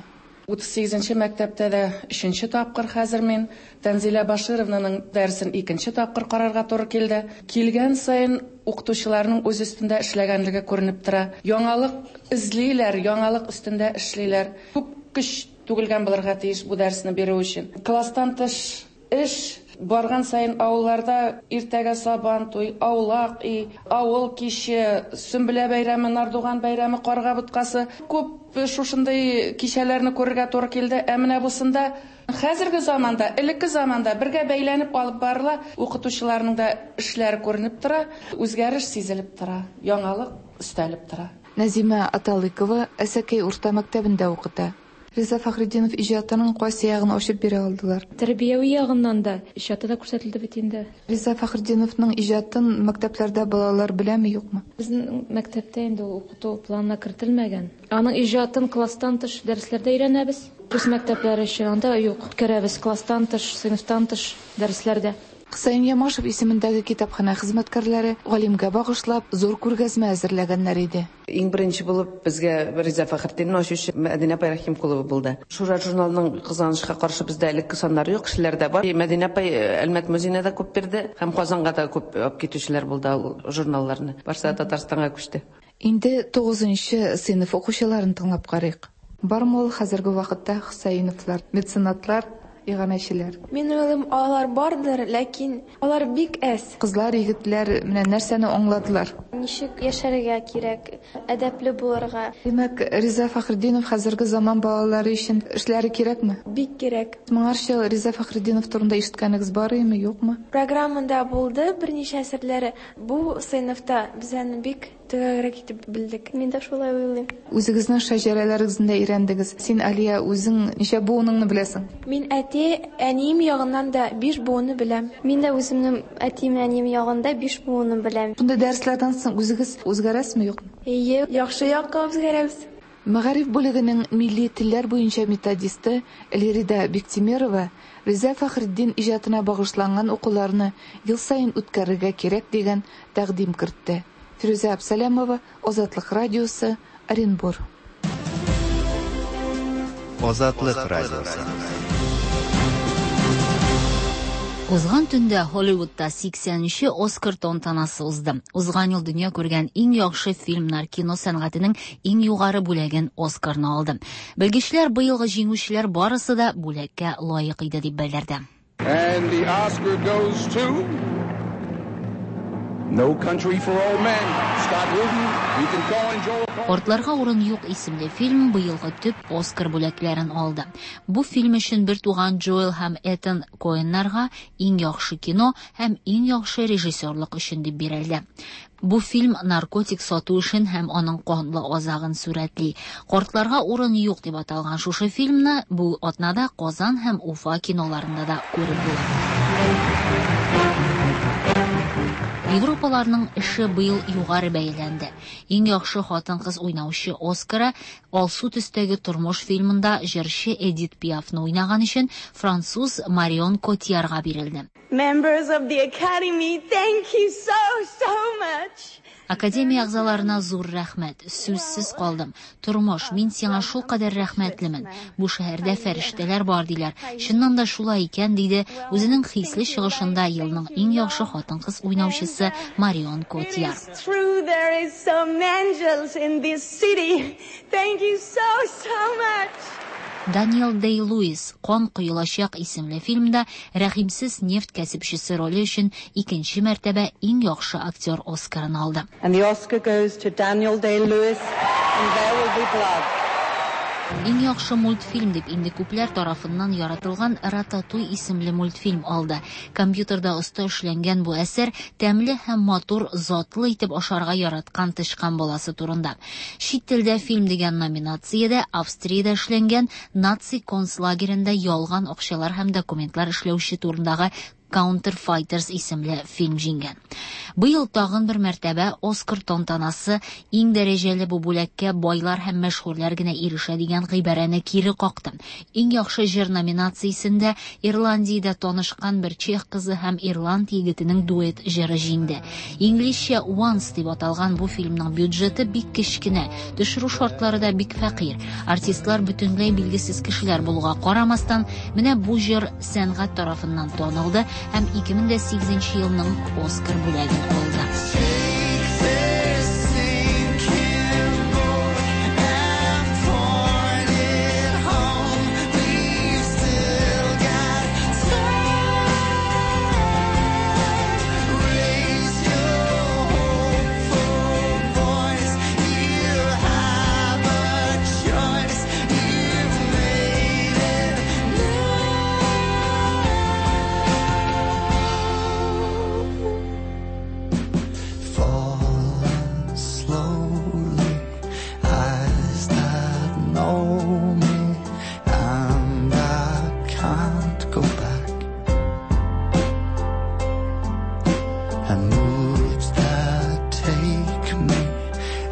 38 нче мәктәптә дә өченче тапкыр хәзер мин Тәнзилә Башировнаның дәресен икенче тапкыр карарга туры килде. Килгән саен укытучыларның үз өстендә эшләгәнлеге күренеп тора. Яңалык эзлиләр, яңалык өстендә эшлиләр. Күп көч түгелгән булырга тиеш бу дәресне бирү өчен. Класстан тыш эш барган саен авылларда иртәгә сабан туй, аулак өй, авыл киче, Сөмбелә бәйрәме, Нардуган бәйрәме, карга боткасы. Күп шушындый кичәләрне күрергә туры килде. Ә менә бусында хәзерге заманда, элекке заманда бергә бәйләнеп алып барыла. Укытучыларның да эшләре күренеп тора, үзгәреш сизелеп тора, яңалык өстәлеп тора. Нәзимә Аталыкова Әсәкәй урта мәктәбендә укыта. Риза Фәхретдинов иҗатының кайсы ягын ачып бирә алдылар? Тәрбияви ягыннан да, иҗаты да күрсәтелде бит инде. Риза Фәхретдиновның иҗатын мәктәпләрдә балалар беләме, юкмы? Безнең мәктәптә инде ул укыту планына кертелмәгән. Аның иҗатын класстан тыш дәресләрдә өйрәнәбез. Рус мәктәпләре өчен анда юк. Үткәрәбез класстан тыш, сыйныфтан тыш дәресләрдә. Хөсәен Ямашев исемендәге китапханә хезмәткәрләре галимгә багышлап зур күргәзмә әзерләгәннәр иде. Иң беренче булып безгә Риза Фәхретдинне ачучы Мәдинә апай Рәхимкулова булды. Шура журналының, кызганычка каршы, бездә элекке саннары юк, кешеләрдә бар. Мәдинә апай Әлмәт музеена да күп бирде һәм Казанга да күп алып китүчеләр булды ул журналларны. Барсы да Татарстанга күчте. Инде тугызынчы сыйныф укучыларын тыңлап карыйк. Бармы ул хәзерге вакытта Хөсәеновлар, меценатлар, иганәчеләр? Мин уйлыйм, алар бардыр, ләкин алар бик әз. Кызлар, егетләр менә нәрсәне аңладылар? Ничек яшәргә кирәк, әдәпле булырга. Димәк, Риза Фәхретдинов хәзерге заман балалары өчен эшләре кирәкме? Бик кирәк. Моңарчы Риза Фәхретдинов турында ишеткәнегез бар иеме, юкмы? Программада булды берничә әсәрләре. Бу сыйныфта без аны бик Төгәлрәк итеп белдек. Мин дә шулай уйлыйм. Үзегезнең шәҗәрәләрегезне дә өйрәндегез. Син, Алия, үзең ничә буыныңны беләсең? Мин әти, әнием ягыннан да биш буынны беләм. Мин дә үземнең әтием, әнием ягында биш буынны беләм. Шундый дәресләрдән соң үзегез үзгәрәсезме, юкмы? Әйе, яхшы якка үзгәрәбез. Мәгариф бүлегенең милли телләр буенча методисты Лирида Биктимерова Риза Фәхретдин иҗатына багышланган укуларны ел саен үткәрергә кирәк дигән тәкъдим кертте. Фирүзә Абсалямова, Азатлык радиосы, Оренбур. Азатлык радиосы. Узган төндә Һолливудта 80 нче Оскар тантанасы узды. Узган ел дөнья күргән иң яхшы фильмнар кино сәнгатенең иң югары бүләген Оскарны алды. Белгечләр быелгы җиңүчеләр барысы да бүләккә лаек иде дип белдерде. And the Oscar goes to No Country for Old Men. Scott Rudin, Ethan Coen, Joel Coen. Картларга урын юк исемле фильм быелгы төп Оскар бүләкләрен алды. Бу фильм өчен бертуган Джоэл һәм Этан Коэннарга иң яхшы кино һәм иң яхшы режиссерлык өчен дип бирелде. Бу фильм наркотик сату эшен һәм аның канлы азагын сурәтли. Картларга урын юк дип аталган шушы фильмны бу атнада Казан һәм Уфа киноларында да күреп була. Европаларның эше быел югары бәяләнде. Иң яхшы хатын-кыз уйнаучы Оскары Алсу төстәге тормыш фильмында җырчы Эдит Пиафны уйнаган өчен француз Марион Котиярга бирелде. Members of the Academy, thank you so, so much. Академия әгъзаларына зур рәхмәт. Сүзсез калдым. Тормыш, мин сиңа шулкадәр рәхмәтлемен. Бу шәһәрдә фәрештәләр бар, диләр. Чыннан да шулай икән, диде үзенең хисле чыгышында елның иң яхшы хатын-кыз уйнаучысы Марион Котияр. True, there is some angels in this city. Thank you so, so much. Даниэл Дэй-Луис Кан коелачак исемле фильмда рәхимсез нефть кәсепчесе роле өчен икенче мәртәбә иң яхшы актер Оскарын алды. And the Oscar goes to Daniel Day-Lewis in There Will Be Blood. Иң яхшы мультфильм дип инде күпләр тарафыннан яратылган Рататуй исемле мультфильм алды. Компьютерда оста эшләнгән бу әсәр тәмле һәм матур, затлы итеп ашарга яраткан тычкан баласы турында. Чит телдә фильм дигән номинациядә Австриядә эшләнгән наци концлагеренда ялган акчалар һәм документлар эшләүче турындагы Counterfighters исемле фильм җиңгән. Быел тагын бер мәртәбә Оскар тантанасы иң дәрәҗәле бу бүләккә байлар һәм мәшһүрләр генә ирешә дигән гыйбарәне кире какты. Иң яхшы җыр номинациясендә Ирландиядә танышкан бер чех кызы һәм ирланд егетенең дуэт җыры җиңде. Инглизчә Once дип аталган бу фильмның бюджеты бик кечкенә, төшерү шартлары да бик фәкыйрь. Артистлар бөтенләй билгесез кешеләр булуга карамастан, менә бу җыр сәнгать тарафыннан танылды һәм 2008 елның Оскар бүләген алды. go back. And moods that take me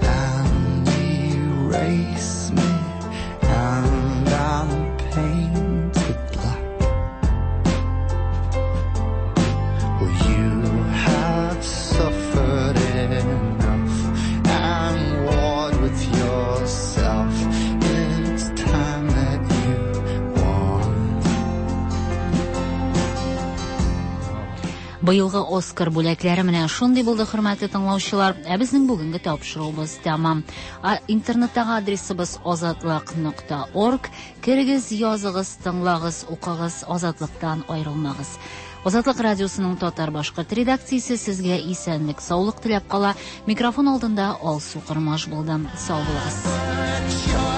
and erase me, and I'm painted black. Well, you have suffered enough and warred with yourself. It's time that you won. Быелгы Оскар бүләкләре менә шундый булды, хөрмәтле тыңлаучылар. Ә безнең бүгенге тапшыруыбыз тәмам. Интернеттагы адресыбыз азатлык.орг. Керегез, языгыз, тыңлагыз, укыгыз, Азатлыктан аерылмагыз. Азатлык радиосының татар башкорт редакциясе сезгә исәнлек, саулык теләп кала. Микрофон алдында Алсу Кормаш булды. Сау булыгыз.